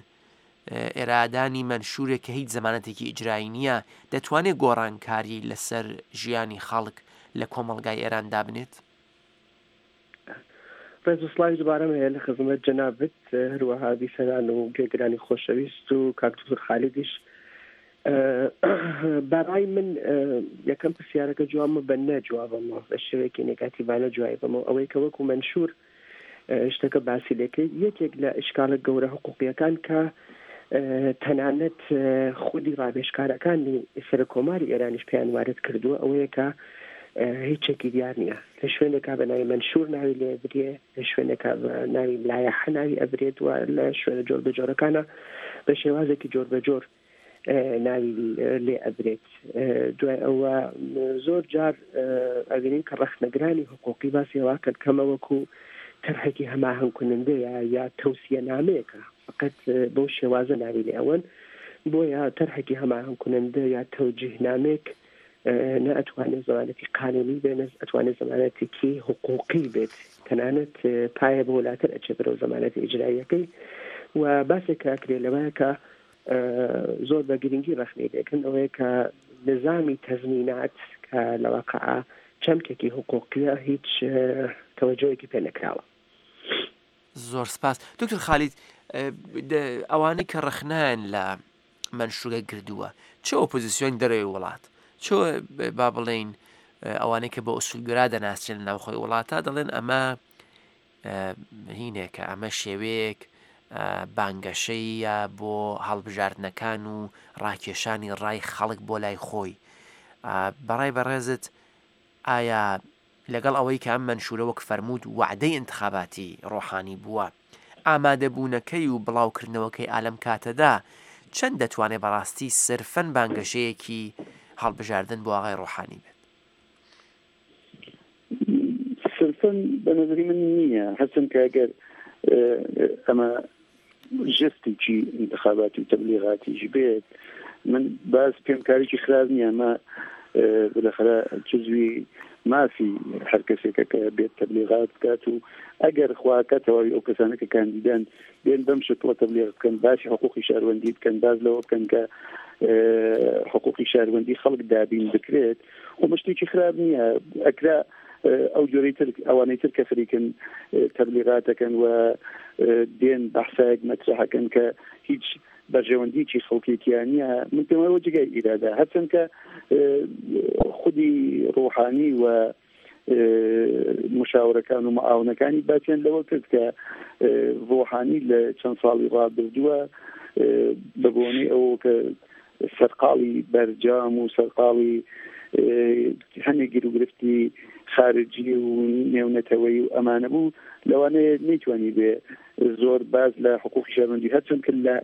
ئێرادانی مەنشوورێک کە هیچ زەمانەتێکی ئیجرایی نییە دەتوانێت گۆڕانکاری لەسەر ژیانی خەڵک لە کۆمەڵگای ئێران دابنێت؟ ڕێز و سڵاوی دووبارەم هەیە لە خزمەت جەنابت، هەروەها بیسەران و گوێگرانی خۆشەویست و کاک دکتۆر خالیدیش. بەڕای من یەکەم پرسیارەکە جوابمە بە نەجوابەمەوە، بە شێوەیەکی نێگاتیڤانە جوابەمەوە، ئەوەی کە وەکو مەنشوور شتەکە باسی لێکرد یەکێک لە ئشکالە گەورە حقوقیەکان کە تەنانەت خودی ڕابێژکارەکانی سەرۆک کۆماری ئێرانیش پێیان وارد کردووە ئەوەیە کە هیچێکی دیار نییە. لە شوێنێکا بە ناوی مەنشوور ناوی لێ برێ، لە شوێنێکا بە ناوی لایەحە ناوی ئەبرێت و لە شوێنە جۆر بەجۆرەکانە بە شێوازێکی جۆر بەجۆر ناوی لێ ئەبرێت. دوای ئەوە زۆر جار ئەبینین کە ڕەخنەگرانی حقوقی باسی واکەن کەمە وەکو تەرحێکی هەماهەنگ کنندەیە یا تەوسیە نامەیەکە، فقط بەو شێوازە ناوی لێ ئەوەن. بۆیە تەرحێکی هەماهەنگ کنندە یا تەوجیه نامێک نە ئەتوانێت زمانەتی قانونی بێ، نە ئەتوانێت زمانەتێکی حقوقی بێت، تەنانەت پایە بۆ لاتر ئەچێ بەرەو زمانەتی ئیجراییەکەی. و باسێک کە ئەکرێ لەوەیە کە زۆر بە گرنگی ڕەخنەی لێکردن ئەوەیە کە نظامی تەزمینات کە لە واقعا چەمکێکی حقوقیە هیچ تەوەجۆیەکی پێ نەکراوە. زۆر سپاس. دکتۆر خالید، ئەوانەی کە ڕەخنەیان لە مەنشوورە گردووە، چ ئۆپۆزیسیۆن دەرەوەی وڵات، چ با بڵێین ئەوانەی کە بە ئوسولگەرا دەناسرێن لە ناوخۆی وڵاتە، دەڵێن ئەمە هینێکە، ئەمە شێوەیەک بانگەشەیە بۆ هەڵبژاردنەکان و ڕاکێشانی ڕای خەڵک بۆ لای خۆی. بەڕای بەڕێزت ئایا لەگەڵ ئەوەی کە ئەم مەنشوورە وەک فەرموود وعدەی ئینتخاباتی ڕۆحانی بووە، ئامادەبوونەکەی و بڵاوکردنەوەکەی ئالەم کاتەدا چەند دەتوانێت بەڕاستی سرفەن بانگەشەیەکی هەڵبژاردن بۆ ئاغای ڕۆحانی بێت؟ سرفەن بە نظری من نییە، هەرچەند کە ئەگەر ئەمە ژستێکی انتخاباتی و تەبلیغاتیش بێت، من باز پێم کارێکی خراپ نییە. ئەمە بالاخرە جزوی مافی هەر کەسێکە کە بێت تەبلیغات بکات و ئەگەر خواکە تەواوی ئەو کەسانە کە کاندیدان بێن بەم شکڵە تەبلیغ بکەن، باسی حقوقی شاروەندی بکەن، باز لەوە بکەن کە حقوقی شاروەندی خەڵک دابین بکرێت، خۆ شتێکی خراپ نییە. ئەکرا ئەو جۆرەی تر ئەوانەی تر کە خەریکن تەبلیغاتەکەن و دێن بەحسایەک مەترەحەکەن کە هیچ بەرژەوەندیکی خەڵکێکیان نییە، من پێم وایە جێگای ئیرادە. هەرچەند کە خودی ڕۆحانی و مشاورەکان و معاونەکانی باسیان لەوە کرد کە ڕۆحانی لە چەند ساڵی ڕابردووە بە بۆنەی ئەوە کە سەرقاڵی بەرجام و سەرقاڵی هەندێک گیروگرفتی خارجی و نێونەتەوەی و ئەمانە بوو، لەوانەیە نەیتوانی بێ زۆر باز لە حقوقی شەهروەندی، هەرچەند کە لە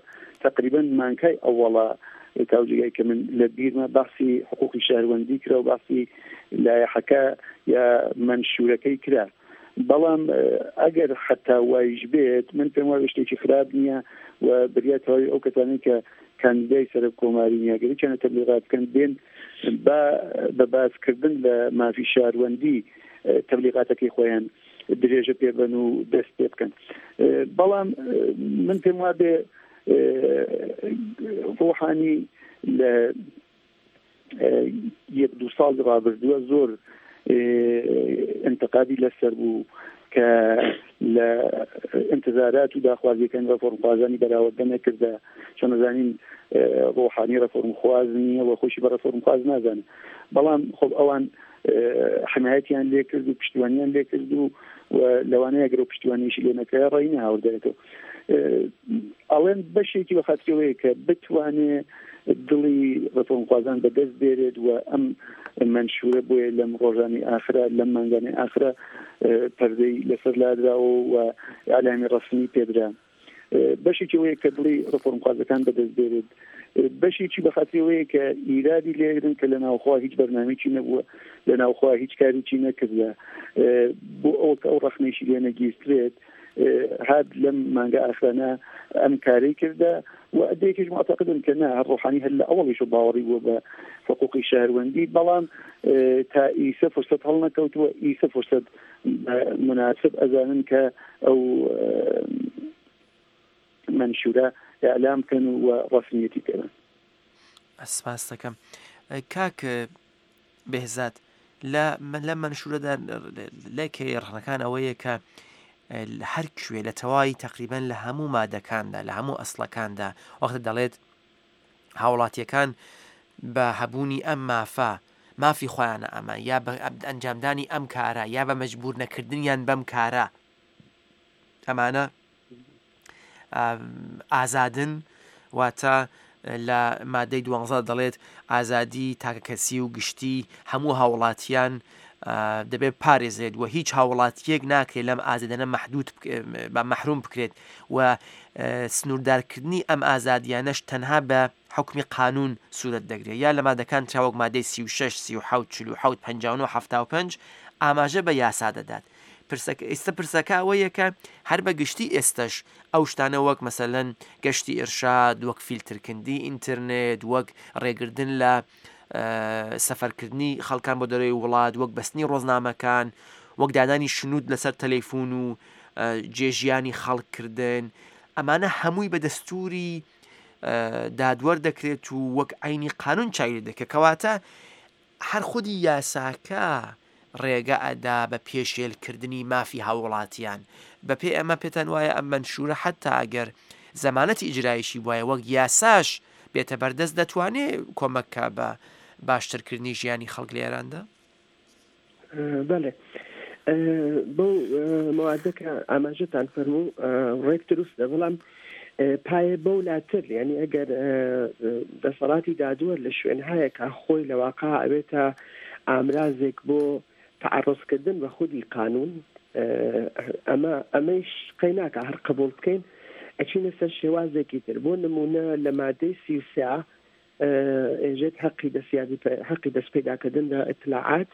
تقریبا مانکای ئەوەڵا تاوجێگای کە من لە بیرمە باسی حقوقی شەهروەندی کرا و باسی لایەحەکە یا مەنشوورەکەی کرا، بەڵام ئەگەر حتا وایش بێت من پێم وایە شتێکی خراپ نییە و بریا تەواوی ئەو کەسانەی کە کاندیدای سەرۆک کۆماری نییە گەر تەبلیغات بکەن بێن با بە باسکردن لە مافی شاروەندی تەبلیغاتەکەی خۆیان درێژە پێبن و دەست پێ بکەن. بەڵام من پێم وابێ ڕۆحانی لە یەک دوو ساڵ ڕابردووە زۆر انتقادی لەسەر بوو کە لە انتظارات و داخوازیەکان ڕێفۆرمخوازانی بەراوردە نەکردە، چۆن نەزانین ڕۆحانی ڕێفۆرمخواز نییە و خۆشی بە ڕێفۆرمخواز نازانێت. بەڵام خۆب ئەوان حمایەتیان لێکرد و پشتیوانیان لێکرد و لەوانەیە گەرە پشتیوانیشی لێ نەکرا ڕێی نەهاوردێتەوە. ئەڵێن بەشێکی بەخاترەوەیە کە بتوانێ دڵی ڕێفۆرمخوازان بەدەست بێرێت و ئەم منشورە بۆیە لەم ڕۆژانی ئاخرا لەم مانگانی ئاخرا پەردەی لەسەر لادراوە و ئەعلامی ڕەسمی پێدرا. بەشێکی ئەوەیە کە دڵی ڕێفۆرمخوازەکان بەدەست بێرێت، بەشێکی بەخاترەوەیە کە ئیرادی لێگرن کە لە ناوخوا هیچ بەرنامەیەکی نەبووە، لە ناوخوا هیچ کارێکی نەکردە، بۆ ئەوە کە ئەو ڕەخنەیشی لێ نەگیرترێت هات لەم مانگە ئاخرانە ئەم کارەی کردە. و ئەدەیەکیش معتەقدن کە نا هەر ڕۆحانی هەر لە ئەوەڵیش باوەڕی بووە بە حقوقی شەهروەندی، بەڵام تا ئیسە فرسەت هەڵنەکەوتووە، ئیسە فرسەت مناسب ئەزانن کە ئەو منشورە ئیعلام بکەن و ڕەسمیەتی پێبن. سپاس دەکەم. کاک بێهزاد، لە منشورەدا لەکەی ڕەخنەکان ئەوەیە کە هەر کوێ لە تەواوی تقریبا لە هەموو مادەکاندا لە هەموو ئەسڵەکاندا وەختە دەڵێت هاوڵاتیەکان بە هەبوونی ئەم مافە مافی خۆیانە ئەمە یا بە ئەنجامدانی ئەم کارە یا بە مەجبور نەکردنیان بەم کارە ئەمانە ئازادن، واتە لە مادەی دوانزە دەڵێت ئازادی تاکەکەسی و گشتی هەموو هاوڵاتیان دەبێت پارێزرێت و هیچ هاوڵاتیەک ناکرێت لەم ئازادانە مەحدود بە مەحروم بکرێت و سنووردارکردنی ئەم ئازادیانەش تەنها بە حکمی قانون سوورەت دەگرێت. یا لە مادەکان تراوەک مادەی سی و شەش، سی و حەوت، چل و حەوت، پەنجا و نۆ، حەفتا و پەنج ئاماژە بە یاسا دەدات. ئێستا پرسەکە ئەوەیە کە هەر بە گشتی ئێستش ئەو شتانە وەک مەسەلەن گەشتی ئێرشاد، وەک فیلترکردنی ئینتەرنێت، وەک ڕێگردن لە سەفەرکردنی خەڵکان بۆ دەرەوەی وڵات، وەک بەستنی ڕۆزنامەکان، وەک دانانی شنوت لەسەر تەلەفۆن و جێژیانی خەڵککردن، ئەمانە هەمووی بە دەستوری دادوەر دەکرێت و وەک عینی قانون چاوی دەکرێت. کەواتە هەر خودی یاساکە ڕێگە ئەدا بە پێشێلکردنی مافی هاوڵاتیان. بەپێ ئەمە پێتان وایە ئەم منشورە حتا ئەگەر زەمانەتی ئیجرایشی وایە وەک یاساش بێتە بەردەست دەتوانێت کۆمەکە بە باشترکردنی ژیانی خەڵک لە ئێراندا؟ بەڵێ، بەو مەوادەکە ئاماژەتان فەرموو ڕێک دروستە، بەڵام پایە بەو لاتر، یعنی ئەگەر دەسەڵاتی دادوەر لە شوێنهایەکە خۆی لە واقع ئەبێتە ئامرازێک بۆ تعرضکردن بە خودی قانون، ئەمە ئەمەیش قەی ناکە هەر قبول بکەین ئەچینە سەر شێوازێکی تر. بۆ نمونە لە مادەی سی و سێ ئێژێت حەقی دەستیابی حەقی دەست پەیداکردن لە ئیتلاعات،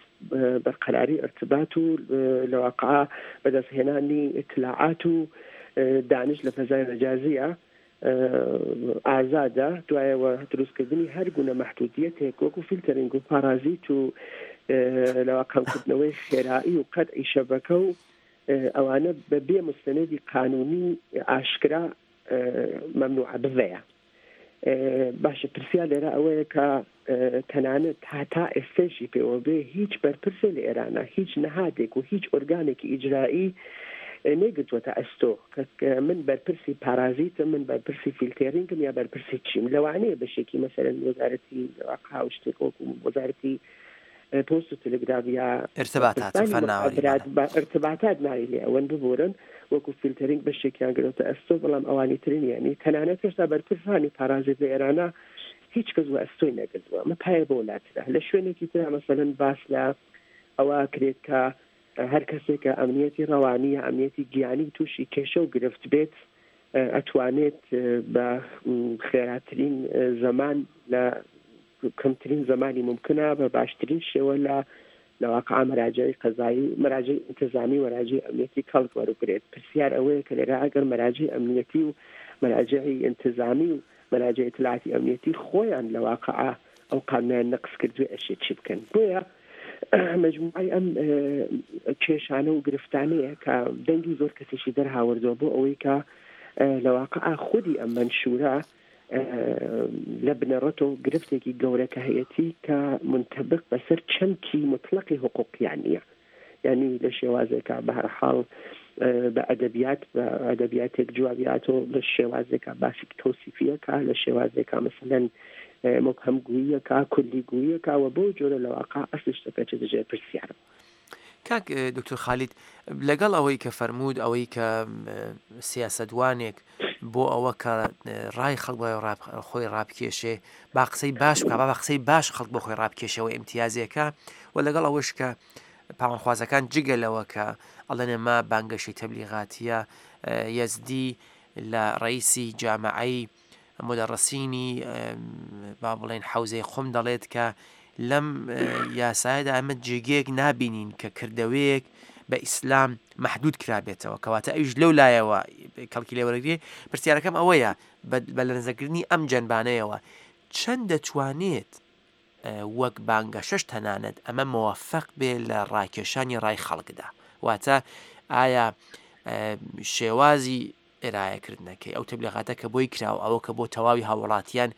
بەرقەراری ئەرتبات و لە واقع بەدەستهێنانی ئیتلاعات و دانش لە فەزای مەجازیە ئازادە. دوایەوە دروستکردنی هەر گونە مەحدودیەتێک وەکو فیلتەرینگ و پارازیت و لەوا کەمکردنەوەی خێرایی و قەتعی شەبەکە و ئەوانە بەبێ مستەنەدی قانونی ئاشکرا مەمنوعە بڤەیە. باشە، پرسیار لێرە ئەوەیە کە تەنانەت هەتا ئێستێشی پێوە بێ هیچ بەرپرسێ لە ئێرانە هیچ نەهادێک و هیچ ئۆرگانێکی ئیجرایی نەیگرتووەتە ئەستۆ کە من بەرپرسی پارازیتم، من بەرپرسی فیلتێرینگم یا بەرپرسی چیم. لەوانەیە بەشێکی مەسەلەن وەزارەتی واقع و شتێک وەکو وەزارەتی پۆست و تەلەگراف یا ارتباطات ارتباطات ناوی لێ ئەوەن ببورن وەکو فیلتەرینگ بەشێکیان گرتووەتە ئەستۆ، بەڵام ئەوانی ترین یعنی تەنانەت هێشتا بەرپرسانی پارازیت لە ئێرانە هیچ کەس وە ئەستۆی نەگرتووە. ئەمە پایە بۆ لاترە. لە شوێنێکی ترا مەسەلەن باس لە ئەوە کرێت کە هەر کەسێکە ئەمنیەتی ڕەوانی یا ئەمنیەتی گیانی تووشی کێشە و گرفت بێت ئەتوانێت بە خێراترین زەمان لە کەمترین زمانی ممکنە بە باشترین شێوە لە لە واقع مەراجعی قەزایی مەراجعی ئینتزامی و مەراجعی ئەمنیەتی کەڵک وەربگرێت. پرسیار ئەوەیە کە لێرە ئەگەر مەراجعی ئەمنیەتی و مەراجعی ئینتزامی و مەراجعی ئیتلاعاتی ئەمنیەتی خۆیان لە واقع ئەو قانونیان نەقص کردوێ ئەشێت چی بکەن؟ بۆیە مجموعی ئەم کێشانە و گرفتانەیە کە دەنگی زۆر کەسێکی دەرهاوردووە بۆ ئەوەی کە لە واقع خودی ئەم مەنشورە لە بنەڕەتەوە گرفتێکی گەورە کە هەیەتی کە منتەبق بەسەر چەمکی مطلقی حقوقیان نییە. یعنی لە شێوازێکە بە هەر حاڵ بە ئەدەبیات بە ئەدەبیاتێک جوابیاتەوە لە شێوازێکە باسی تەوسیفیەکە لە شێوازێکە مەسەلەن مبهەمگوییەکە کولیگوییەکە و بەو جۆرە لە واقع ئەسلی شتەکە چێتە ژێر پرسیارەوە. کاک دکتۆر خالید، لەگەڵ ئەوەی کە فەرموود ئەوەی کە سیاسەتوانێک بۆ ئەوە کە ڕای خەڵک بۆ خۆی ڕابکێشێ با قسەی باش بکە، با بە قسەی باش خەڵک بۆ خۆی ڕابکێشەوە ئیمتیازێکە، و لەگەڵ ئەوەش کە پاوانخوازەکان جگە لەوە کە ئەڵێن ئێمە بانگەشەی تەبلیغاتیە، یەزدی لە ڕئیسی جامعەی مدەڕسینی با بڵێن حەوزەی قوم دەڵێت کە لەم یاسایەدا ئەمە جێگەیەک نابینین کە کردەوەیەک بە ئیسلام مەحدود کرابێتەوە، کەواتە ئەویش لەو لایەوە کەڵکی لێوەرەگرێ. پرسیارەکەم ئەوەیە بە لە نەزەرکردنی ئەم جەنبانەیەوە چەند دەتوانێت وەک بانگەشەش تەنانەت ئەمە مەوەفەق بێ لە ڕاکێشانی ڕای خەڵکدا؟ واتە ئایا شێوازی ئێرایەکردنەکەی ئەو تەبلیغاتە کە بۆی کراوە، ئەوە کە بۆ تەواوی هاوڵاتیان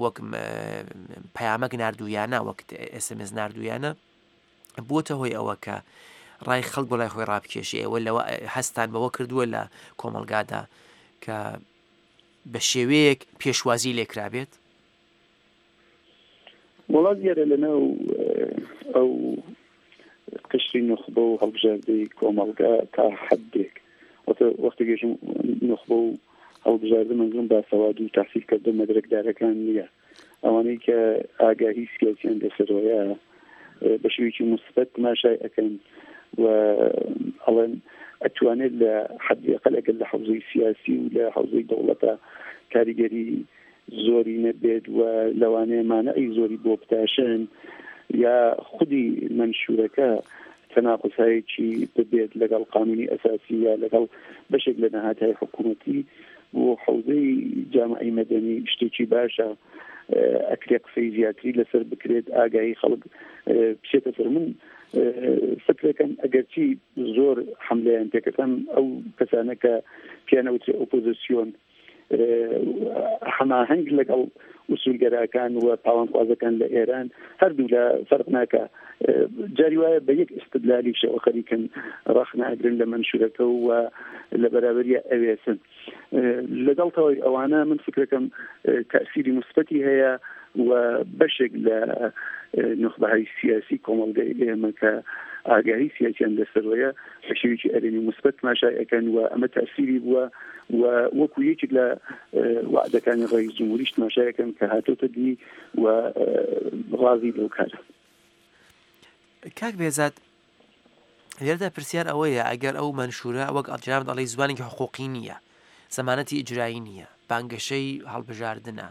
وەک پەیامەک ناردوویانە، وەک ئێس ئەم ئێس ناردوویانە، بووەتە هۆی ئەوە کە ڕای خەڵک بۆ لای خۆی ڕابکێشی؟ ئێوە لەوە هەستان بەوە کردووە لە کۆمەلگادا کە بە شێوەیەک پێشوازی لێکرابێت؟ وڵات دیارە لەناو ئەو قشری نوخبە و هەڵبژاردەی کۆمەلگا تا حدێک، وەختی گەشتم نوخبە و هەڵبژاردە منزوم باسەواد و تحصیل کردو مەدرەکدارەکان نییە، ئەوانەی کە ئاگاهی سیاسیان لەسەرەوەیە بە شێوەیەکی موسبەت تماشای ئەکەن و ئەڵێن ئەتوانێت لە حەدی ئەقل ئەگەر لە حەوزەی سیاسی و لە حەوزەی دەوڵەتە کاریگەری زۆری نەبێت و لەوانەیە مانعی زۆری بۆ بتاشن یا خودی مەنشورەکە تەناقضهایەکی ببێت لەگەڵ قانونی ئەساسی یا لەگەڵ بەشێک لە نەهاتهای حکوومەتی بۆ حەوزەی جامعی مەدەنی شتێکی باشە، ئەکرێ قسەی زیاتری لەسەر بکرێت، ئاگاهی خەڵک بچێتە سەر. من فکرەکەم ئەگەرچی زۆر حملەیان پێکەکەم ئەو کەسانە کە پیانەوترێ ئۆپۆزیسیۆن هەماهەنگ لەگەڵ ئوسولگەراکان و پاوانخوازەکان لە ئێران هەردوو لە فەرق ناکە، جاری وایە بە یەک ئیستدلالی شەوە خەریکن ڕەخنە ئەگرن لە مەنشورەکە و لە بەرابەریە ئەوێسن. لەگەڵ تەواوی ئەوانە من فکرەکەم تەئسیری موسبەتی هەیە و بەشێک لە نوخبەهای سیاسی کۆمەڵگەی ئێمە کە ئاگاهی سیاسیان لەسەرەوەیە بە شێوەیەکی ئەرێنی موسبەت تماشای ئەکەن و ئەمە تەئسیری بووە و وەکو یەکێک لە وعدەکانی ڕئیس جمهوریش تماشای ئەکەن کە هاتۆتە دی و ڕازی لەو کارە. کاک بێزاد، لێرەدا پرسیار ئەوەیە ئەگەر ئەو مەنشورە وەک جنابت ئەڵێی زمانێکی حقوقی نییە، زەمانەتی ئیجرایی نییە، بانگەشەی هەڵبژاردنە،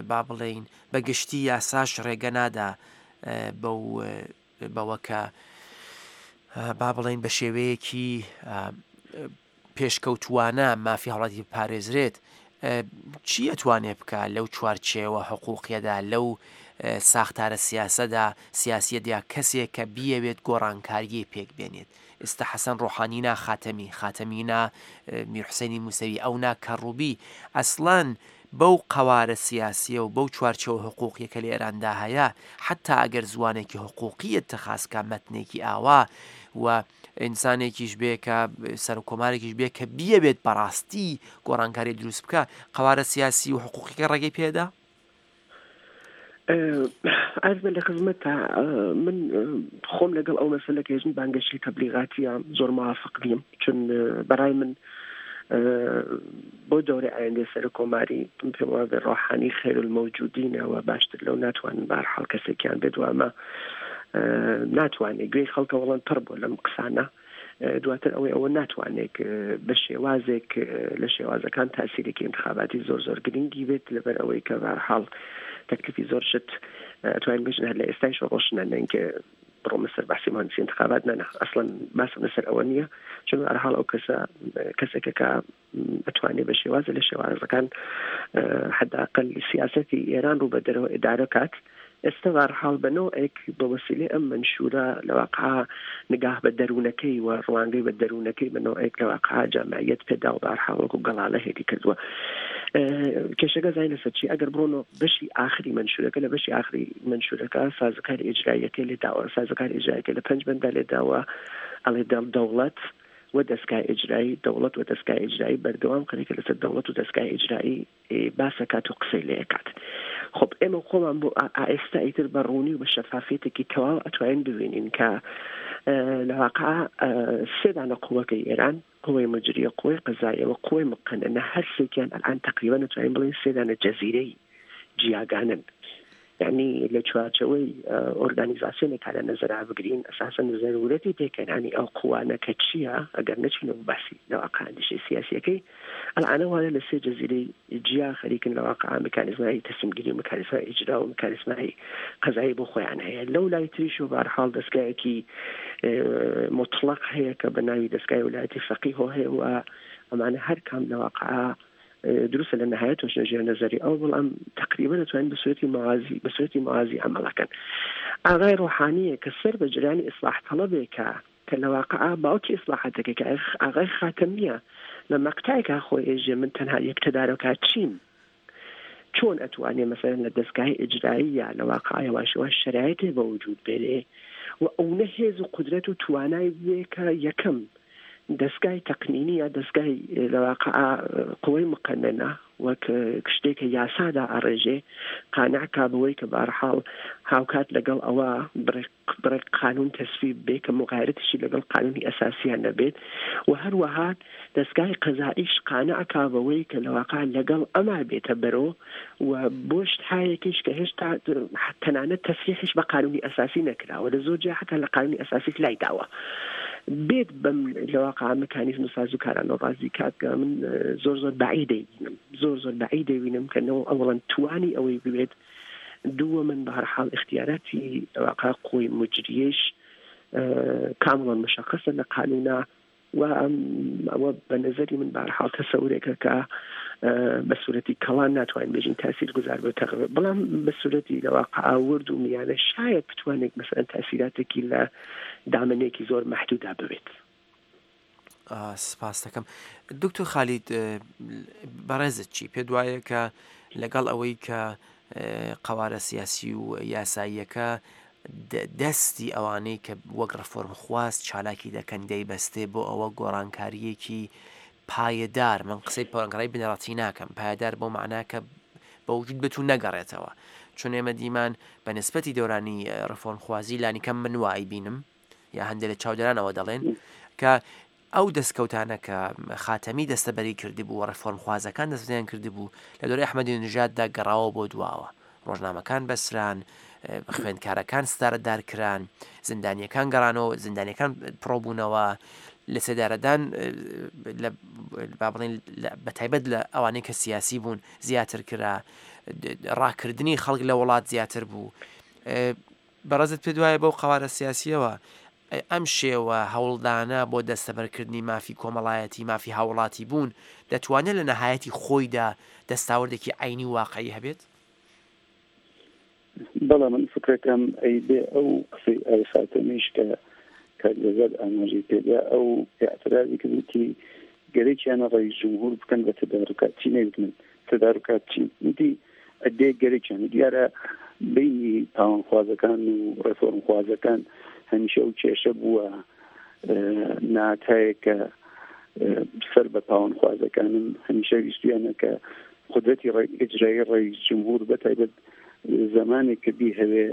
با بڵێین بە گشتی یاساش ڕێگە نادا بەو بەوە کە با بڵێین بە شێوەیەکی پێشکەوتوانە مافی هاوڵاتی بپارێزرێت، چی ئەتوانێ بکە لەو چوارچێوە حقوقیەدا، لەو ساختارە سیاسەدا سیاسیەدا کەسێک کە بیەوێت گۆڕانکاریی پێک بێنێت؟ ئێستا حەسەن ڕۆحانی نا خاتەمی، خاتەمی نا میر حوسێنی موسەوی، ئەو نا کەڕوبی، ئەسڵەن بەو قەوارە سیاسیە و بەو چوارچێوە حقوقیە کە لە ئێراندا هەیە، حتا ئەگەر زوانێکی حقوقیە تەخاسکە مەتنێکی ئاوا و ئینسانێکیش بێ کە سەرکۆمارێکیش بێ کە بیەوێت بەڕاستی گۆڕانکاری دروست بکە، قەوارە سیاسی و حقوقیەکە ڕێگەی پێدا؟ ئاز بە لە خزمەتە من خۆم لەگەڵ ئەو مەسەلە کە ژن بانگەشەی تەبلیغاتیە زۆر موافق نیم، چون بەڕای من بۆ دەورەی ئایندەی سەرکۆماری من پێم وابێ ڕۆحانی خێر المەوجودینەوە باشتر لەو ناتوانن بەهەرحاڵ کەسێکیان بێت و ئەمە ناتوانێت گوێی خەڵکە وەڵام پڕ بوو لەم قسانە. دواتر ئەوەی ئەوە ناتوانێت بە شێوازێک لە شێوازەکان تاسیرێکی انتخاباتی زۆر زۆر گرنگی بێت، لەبەر ئەوەی کە بەهەرحاڵ تەکلیفی زۆر شت ئەتوانین بژن هەر لە ئێستایش ڕۆشنە، نەینکە بڕۆمە سەر بەحسی مهندسی انتخابات نە نە ئەسڵەن باسم لەسەر ئەوە نییە چون بەهەرحاڵ ئەو کەسە کەسێکە کە ئەتوانێ بە شێوازە لە شێوازەکان حداقل سیاسەتی ئێران ڕوو بە دەرەوە ئیدارە کات. ئێستا بەهەرحاڵ بە نەوعێک بە وەسیلەی ئەم مەنشوورە لە واقع نگاه بە دەروونەکەی و ڕوانگەی بە دەروونەکەی بە نەوعێک لە واقع جامعیت پێدا و بەهەرحاڵ وەکو گەڵاڵە هێدی کردووە. کێشەکە زانین لەسەر چی؟ ئەگەر بڕۆنەوە بەشی ئاخری مەنشوورەکە، لە بەشی ئاخری مەنشوورەکە سازوکاری ئیجراییەکەی لێداوە، سازوکاری ئیجراییەکە لە پەنج بەندا لێداوە، ئەڵێ دەوڵەت و دەستگای ئیجرایی، دەوڵەت و دەستگای ئیجرایی بەردەوام خەریکە لەسەر دەوڵەت و دەستگای ئیجرایی باسەکات و قسەی لێکات. خب ئێمە خۆمان بۆ ئێستا ئیتر بە ڕوونی و بە شەفافیەتێکی تەواو ئەتوانین ببینین کە لە واقع سێ دانە قووەکەی ئێران، قووەی مجریە، قووەی قەزاییە و قووەی مقننە، هەر سێکیان ئەلان تقریبا نەتوانین بڵێین سێ دانە جەزیرەی جیاگانن. یعنی لە چوارچەوەی ئۆرگانیزاسیۆنێکا لە نەزەرا بگرین ئەساسەن زەرورەتی پێکهێنانی ئەو قووانە کە چییە ئەگەر نەچینەوە باسی لە واقع ئەندیشەی سیاسیەکەی ئەلعانە وانە لە سێ جەزیرەی جیا خەریکن لە واقع مکانیزمای تەسلیمگیری و مکانیزمای ئیجرا و مکانیزمای قەزایی بۆ خۆیان هەیە. لەو لای تریش و بەهەرحاڵ دەستگایەکی مطلق هەیە کە بە ناوی دەستگای ولایەتی فەقیهۆ هەیە و ئەمانە هەر کام لە واقع دروستە لە نهایەتەوە ژێر نەزەری ئەو، بەڵام تقریبا دەتوانین بە سوورەتی موازی بە سوورەتی موازی عەمەڵەکەن. ئاغای ڕۆحانیە کە سەر بە جریانی ئیسلاح تەڵەبێکە کە لە واقع باوکی ئیسلاحاتەکە کە ئاغای خاتەمیە لە مەقتایکا خۆی ئێژێ من تەنها یەک تەدارۆکات چیم، چۆن ئەتوانێ مەسەلەن لە دەستگای ئیجرایی یا لە واقع یواش یواش شەرایتێ بە وجود بێنێ و ئەونە هێز و قودرەت و توانای بێ کە یەکەم دەستگای تەقنینی یا دەستگای لە واقع قوەی مقننە وەک شتێکە یاسادا ئەڕێژێ قانع کا بەوەی کە بەهەرحاڵ هاوکات لەگەڵ ئەوە بڕێک قانون تەسویب بێ کە مغایرەتیشی لەگەڵ قانونی ئەساسیان نەبێت و هەروەها دەستگای قەزائیش قانع کا بەوەی کە لە واقع لەگەڵ ئەما بێتە بەرۆ و بۆ شتهایەکیش کە هێشتا تەنانەت تەسریحیش بە قانونی ئەساسی نەکراوە، لە زۆر جێ حتا لە قانونی ئەساسیش لای داوە بێت بەم لە واقع مکانیزم و سازوکارانەوە ڕازی کات کە من زۆر زۆر بەعید دەیبینم، زۆر زۆر بەعید دەیبینم کە نەوە ئەوەڵەن توانی ئەوەی ببێت، دووە من بە هەر حاڵ اختیاراتی لە واقع قوی مجریش کاملا مشخصە لە قانونا و ئەوە بە نظری من بە هەر حاڵ تەسەورێکە کە بە سوورەتی کەڵان ناتوانین بێژین تاسیر گوزار بۆ تەغییر، بەڵام بە سوورەتی لە واقع ورد و میانە شاید بتوانێت مەسەلەن تاسیراتێکی لە دامنێکی زۆر مەحدودا ببێت. سپاس دەکەم. دکتۆر خالید، بەڕێزت چی پێ دوایە کە لەگەڵ ئەوەی کە قەوارە سیاسی و یاساییەکە دەستی ئەوانەی کە وەک ڕفۆرمخواز چالاکی دەکەن دەیبەستێ بۆ ئەوە گۆڕانکاریەکی پایەدار، من قسەی گۆڕانکاری بنەڕەتی ناکەم، پایەدار بۆ معنا کە بە وجود بێت و نەگەڕێتەوە، چون ئێمە دیمان بە نسبەتی دەورانی ڕفۆرمخوازی لانیکەم من وای بینم یا هەندێک لە چاودێرانەوە دەڵێن کە ئەو دەستکەوتانە کە خاتەمی دەستەبەری کردبوو و ڕفۆرمخوازەکان دەستیان کردبوو لە دەورەی ئەحمەدی نژاددا گەڕاوە بۆ دواوە، ڕۆژنامەکان بەسران، خوێندکارەکان ستارەدار کران، زیندانیەکان گەڕانەوە، زیندانیەکان پڕۆبوونەوە، لە سێدارەدان با بڵێن بە تایبەت لە ئەوانەی کە سیاسی بوون زیاتر کرا، ڕاکردنی خەڵک لە وڵات زیاتر بوو. بەڕێزت پێ دوایە بەو قەوارە سیاسیەوە ئەم شێوە هەوڵدانە بۆ دەستەبەرکردنی مافی کۆمەڵایەتی، مافی هاوڵاتی بوون، دەتوانێت لە نەهایەتی خۆیدا دەستاوردێکی عینی واقعی هەبێت؟ بەڵام من فکرەکەم ئەی بێ ئەو قسەی ئای خاتەمیش کە کاک بێزاد ئاماژەی پێدا، ئەو اعترازی کردوتی گەرەکیانە ڕئیس جمهور بکەن بە تەدارکات چی نەیوت من تەدارکات چی وتی ئەدێ گەرەکیانە. دیارە بینی پاوانخوازەکان و ڕێفۆرمخوازەکان هەمیشە ئەو کێشە بووە ناتایە کە سەر بە پاوانخوازەکانن، هەمیشە ویستویانە کە قودرەتی ئیجرایی ڕئیس جمهور بە تایبەت زمانێک کە بیهەوێ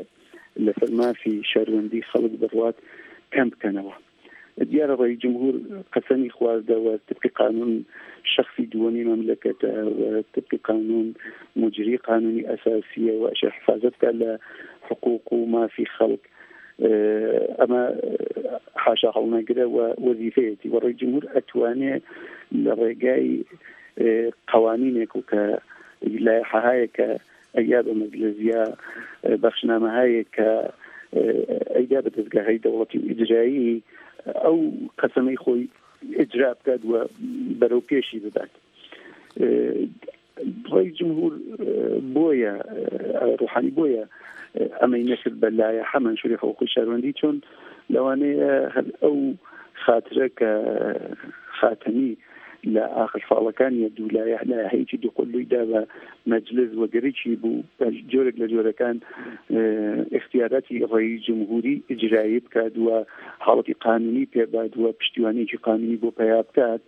لەسەر مافی شەروەندی خەڵک بڕوات کەم بکەنەوە. دیارە ڕئیس جمهور قەسەمی خواردەوە طبقی قانون شخصی دووەمی مەملەکەتە و طبقی قانون مجری قانونی ئەساسیە و ئەشێ حفاظەت بکات لە حقوق و مافی خەڵک، ئەمە حاشا هەڵنەگرە و وەزیفەیەتی. و ڕئیس جمهور ئەتوانێ لە ڕێگای قوانینێک و کە لایحەهایە کە ئەیا بە مەجلس یا بەخشنامەهایە کە ئەیدا بە دەستگاهی دەوڵەتی و ئیجرایی ئەو قەسەمەی خۆی ئیجرا بکات و بەرەو پێشی ببات. ڕەئیس جمهور بۆیە ڕوحانی بۆیە ئەمەی نەکرد بە لایحە مەنشووری حقوقی شاروەندی، چۆن لەوانەیە هەر ئەو خاترە کە خاتەمی لە ئاخر ساڵەکانی دوو لایحە لایحەیەکی دووقولووی دا بە مەجلس وەگەرێکی بوو بە جۆرێک لە جۆرەکان اختیاراتی ڕەئیس جمهوری ئیجرایی بکات و حاڵەتی قانونی پێبات و پشتیوانێکی قانونی بۆ پەیا بکات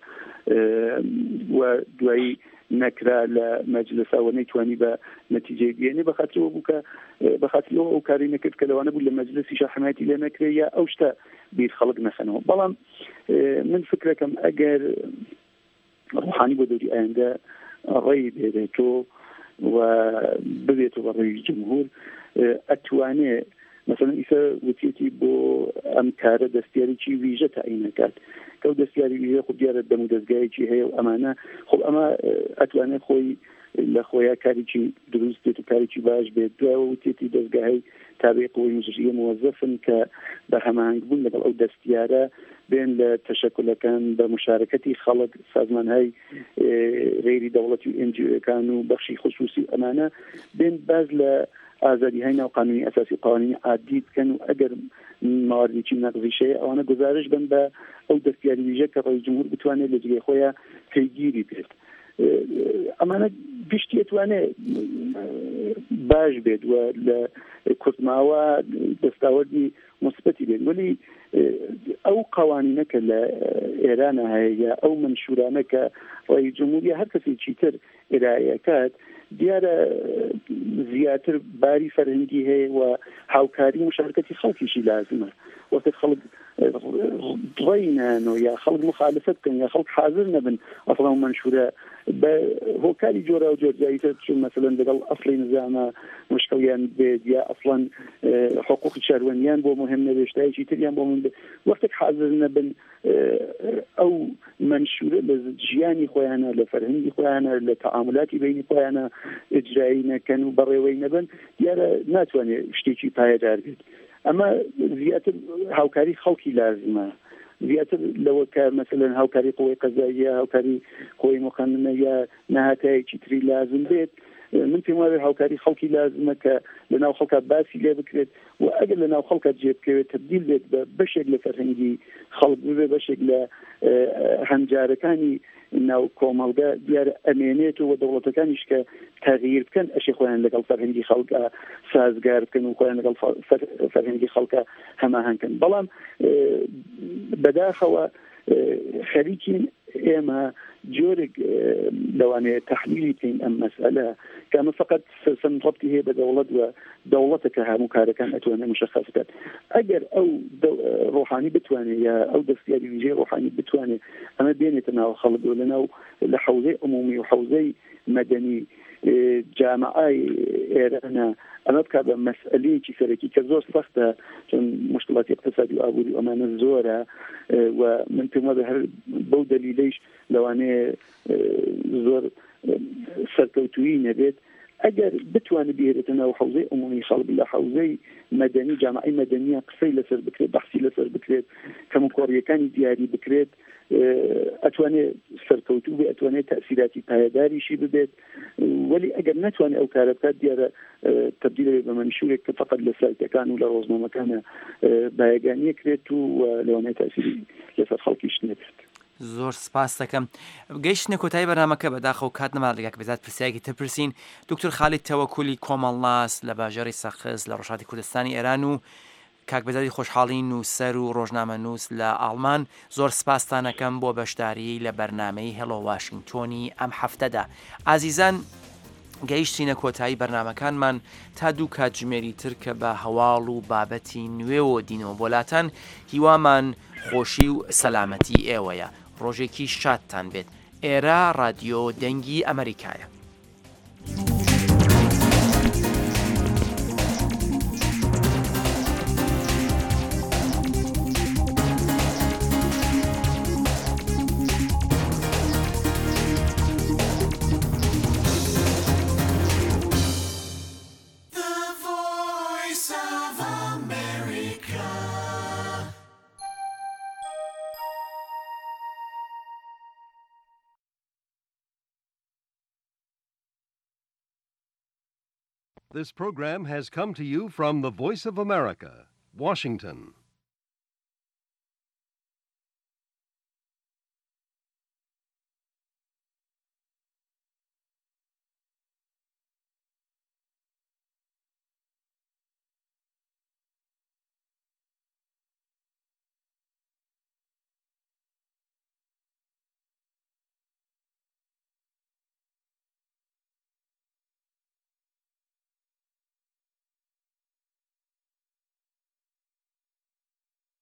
و دوایی نەکرا لە مەجلسەوە نەیتوانی بە نەتیجەی بێنێ، بەخاترەوە بوو کە بەخاترەوە ئەو کاری نەکرد کە لەوانە بوو لە مەجلسیشا حمایەتی لێ نەکرێ یا ئەو شتە بیر خەڵک نەخەنەوە. بەڵام من فکرەکەم ئەگەر ڕوحانی بۆ دەوری ئایندە ڕێی بێنێتەوە و ببێتەوە بە ڕەئیس جمهور ئەتوانێ مثلا ئیسا وتیەتی بۆ ئەم کارە دەستیارێکی ویژە تەعین نەکات کە ئەو دەستیاری ویژە خۆ دیارە دەم و دەستگایەکی هەیە و ئەمانە خۆ ئەمە ئەتوانێت خۆی لە خۆیا کارێکی دروست بێت و کارێکی باش بێت. دوایەوە وتیەتی دەستگاهی تابعی قوەی مجریە موەزەفن کە بە هەماهەنگ بوون لەگەڵ ئەو دەستیارە بێن لە تەشەکولەکان بە مشارکەتی خەڵک، سازمانهای غەیری دەوڵەتی و ئێن جی ئۆەکان و بەخشی خصوصی و ئەمانە بێن باز لە ئازادی های ناو قانونی ئەساسی و قوانینی عادی بکەن و ئەگەر مواردێکی نەقزیش هەیە ئەوانە گزارش بن بە ئەو دەستیاری ویژە کە ڕەئیس جمهور بتوانێت لە جێگەی خۆیان پەیگیری بێت. ئەمانە گشتی ئەتوانێت باش بێت و لە کورتماوە دەستاوەردی مثبەتی بێت، وەلی ئەو قوانینە کە لە ئێرانە هەیە یا ئەو منشورانە کە ڕەئیس جمهوری هەر کەسێکی تر ئێرایەکات دیارە زیاتر باری فەرهەنگی هەیە و هاوکاری مشارکەتی خەڵکیشی لازمە. وەختێک خەڵک ڕێی نانەوە یا خەڵک مخالفەت بکەن یا خەڵک حاضر نەبن ئەسڵا ئەو منشورە بە هۆکاری جۆرا و جۆرجاییتر چون مەسەلەن لەگەڵ ئەسڵی نظامە مشکڵیان بێت یا ئەسڵەن حقوقی شاروەندیان بۆ مهم نەبێت شتایەکی تریان بۆ مهم بێت، وەختێک حاضر نەبن ئەو منشورە لە ژیانی خۆیانە لە فەرهەنگی خۆیانە لە تەعاملاتی بینی خۆیانە ئیجرایی نەکەن و بەڕێوەی نەبن دیارە ناتوانێت شتێکی پایەدار بێت. ئەمە زیاتر هاوکاری خەڵکی لازمە، زیاتر لەوە کە مەسەلەن هاوکاری قوەی قەزاییە، هاوکاری قوەی مقننە یا نەهاتایەکی تری لازم بێت. من پێم وایە هاوکاری خەڵکی لازمە کە لەناو خەڵکا باسی لێ بکرێت و ئەگەر لەناو خەڵکا جێ بکەوێت تەبدیل بێت بە بەشێک لە فەرهەنگی خەڵک، ببێ بەشێک لە هەنجارەکانی ناو کۆمەڵگە دیارە ئەمێنێتەوە و دەوڵەتەکانیش کە تەغییر بکەن ئەشێ خۆیان لەگەڵ فەرهەنگی خەڵکا سازگار بکەن و خۆیان لەگەڵ فەرهەنگی خەڵکا هەماهەنگ کەن. بەڵام بەداخەوە خەریکین ئێمە جۆرێک لەوانەیە تەحلیلی بکەین ئەم مەسئلە کە ئەمە فقط سەرسەم ڕەبتی هەیە بە دەوڵەت و دەوڵەتە کە هەموو کارەکان ئەتوانێت مشخص بکات. ئەگەر ئەو ڕۆحانی بتوانێت یا ئەو دەستیاری ویژەی ڕۆحانی بتوانێت ئەمە بێنێتە ناو خەڵک و لەناو لە حەوزەی عمومی و حەوزەی مەدەنی جامعای ئێرانە ئەمە بکات بە مەسئلەیەکی سەرەکی کە زۆر سەختە چون مشکلاتی اقتصادی و ئابووری و ئەمانە زۆرە و من پێم وایە هەر بەو دەلیلەیش لەوانەیە زۆر سەرکەوتویی نەبێت. ئەگەر بتوانێت بهێنێتە ناو حەوزەی عمومی خەڵک لە حەوزەی مەدەنی جامعی مەدەنیە قسەی لەسەر بکرێت، بەحسی لەسەر بکرێت، کەموکۆڕیەکانی دیاری بکرێت، ئەتوانێت سەرکەوتوو بێ، ئەتوانێت تەئسیراتی پایەداریشی ببێت. وەلی ئەگەر نەتوانێت ئەو کارە بکات دیارە تەبدیل بێت بە مەنشوورێک کە فقط لە سایتەکان و لە ڕۆژنامەکانە بایەگانیە کرێت و لەوانەیە تەئسیری لەسەر خەڵکیش نەبێت. زۆر سپاس دەکەم. گەیشتنە کۆتایی بەرنامەکە، بەداخەوە کات نەما لەگەڵ بێزاد پرسیارێکی تر پرسین. دکتۆر خالید تەوەکولی کۆمەڵناس لە باژێڕی سەقز لە ڕۆژهەڵاتی کوردستانی ئێران و کاک بێزادی خۆشحاڵی نووسەر و ڕۆژنامەنووس لە ئاڵمان، زۆر سپاستانەکەم بۆ بەشداری لە بەرنامەی هێڵۆ واشنگتۆنی ئەم هەفتەدا. ئازیزان گەیشتینە کۆتایی بەرنامەکانمان تا دوو کاتژمێری تر کە بە هەواڵ و بابەتی نوێوە دینەوە بۆلاتان. هیوامان خۆشی و سەلامەتی ئێوەیە. ڕۆژێکی شادتان بێت. ئێرە رادیۆ دەنگی ئەمریکایە. The Voice of America. This program has come to you from the Voice of America, Washington.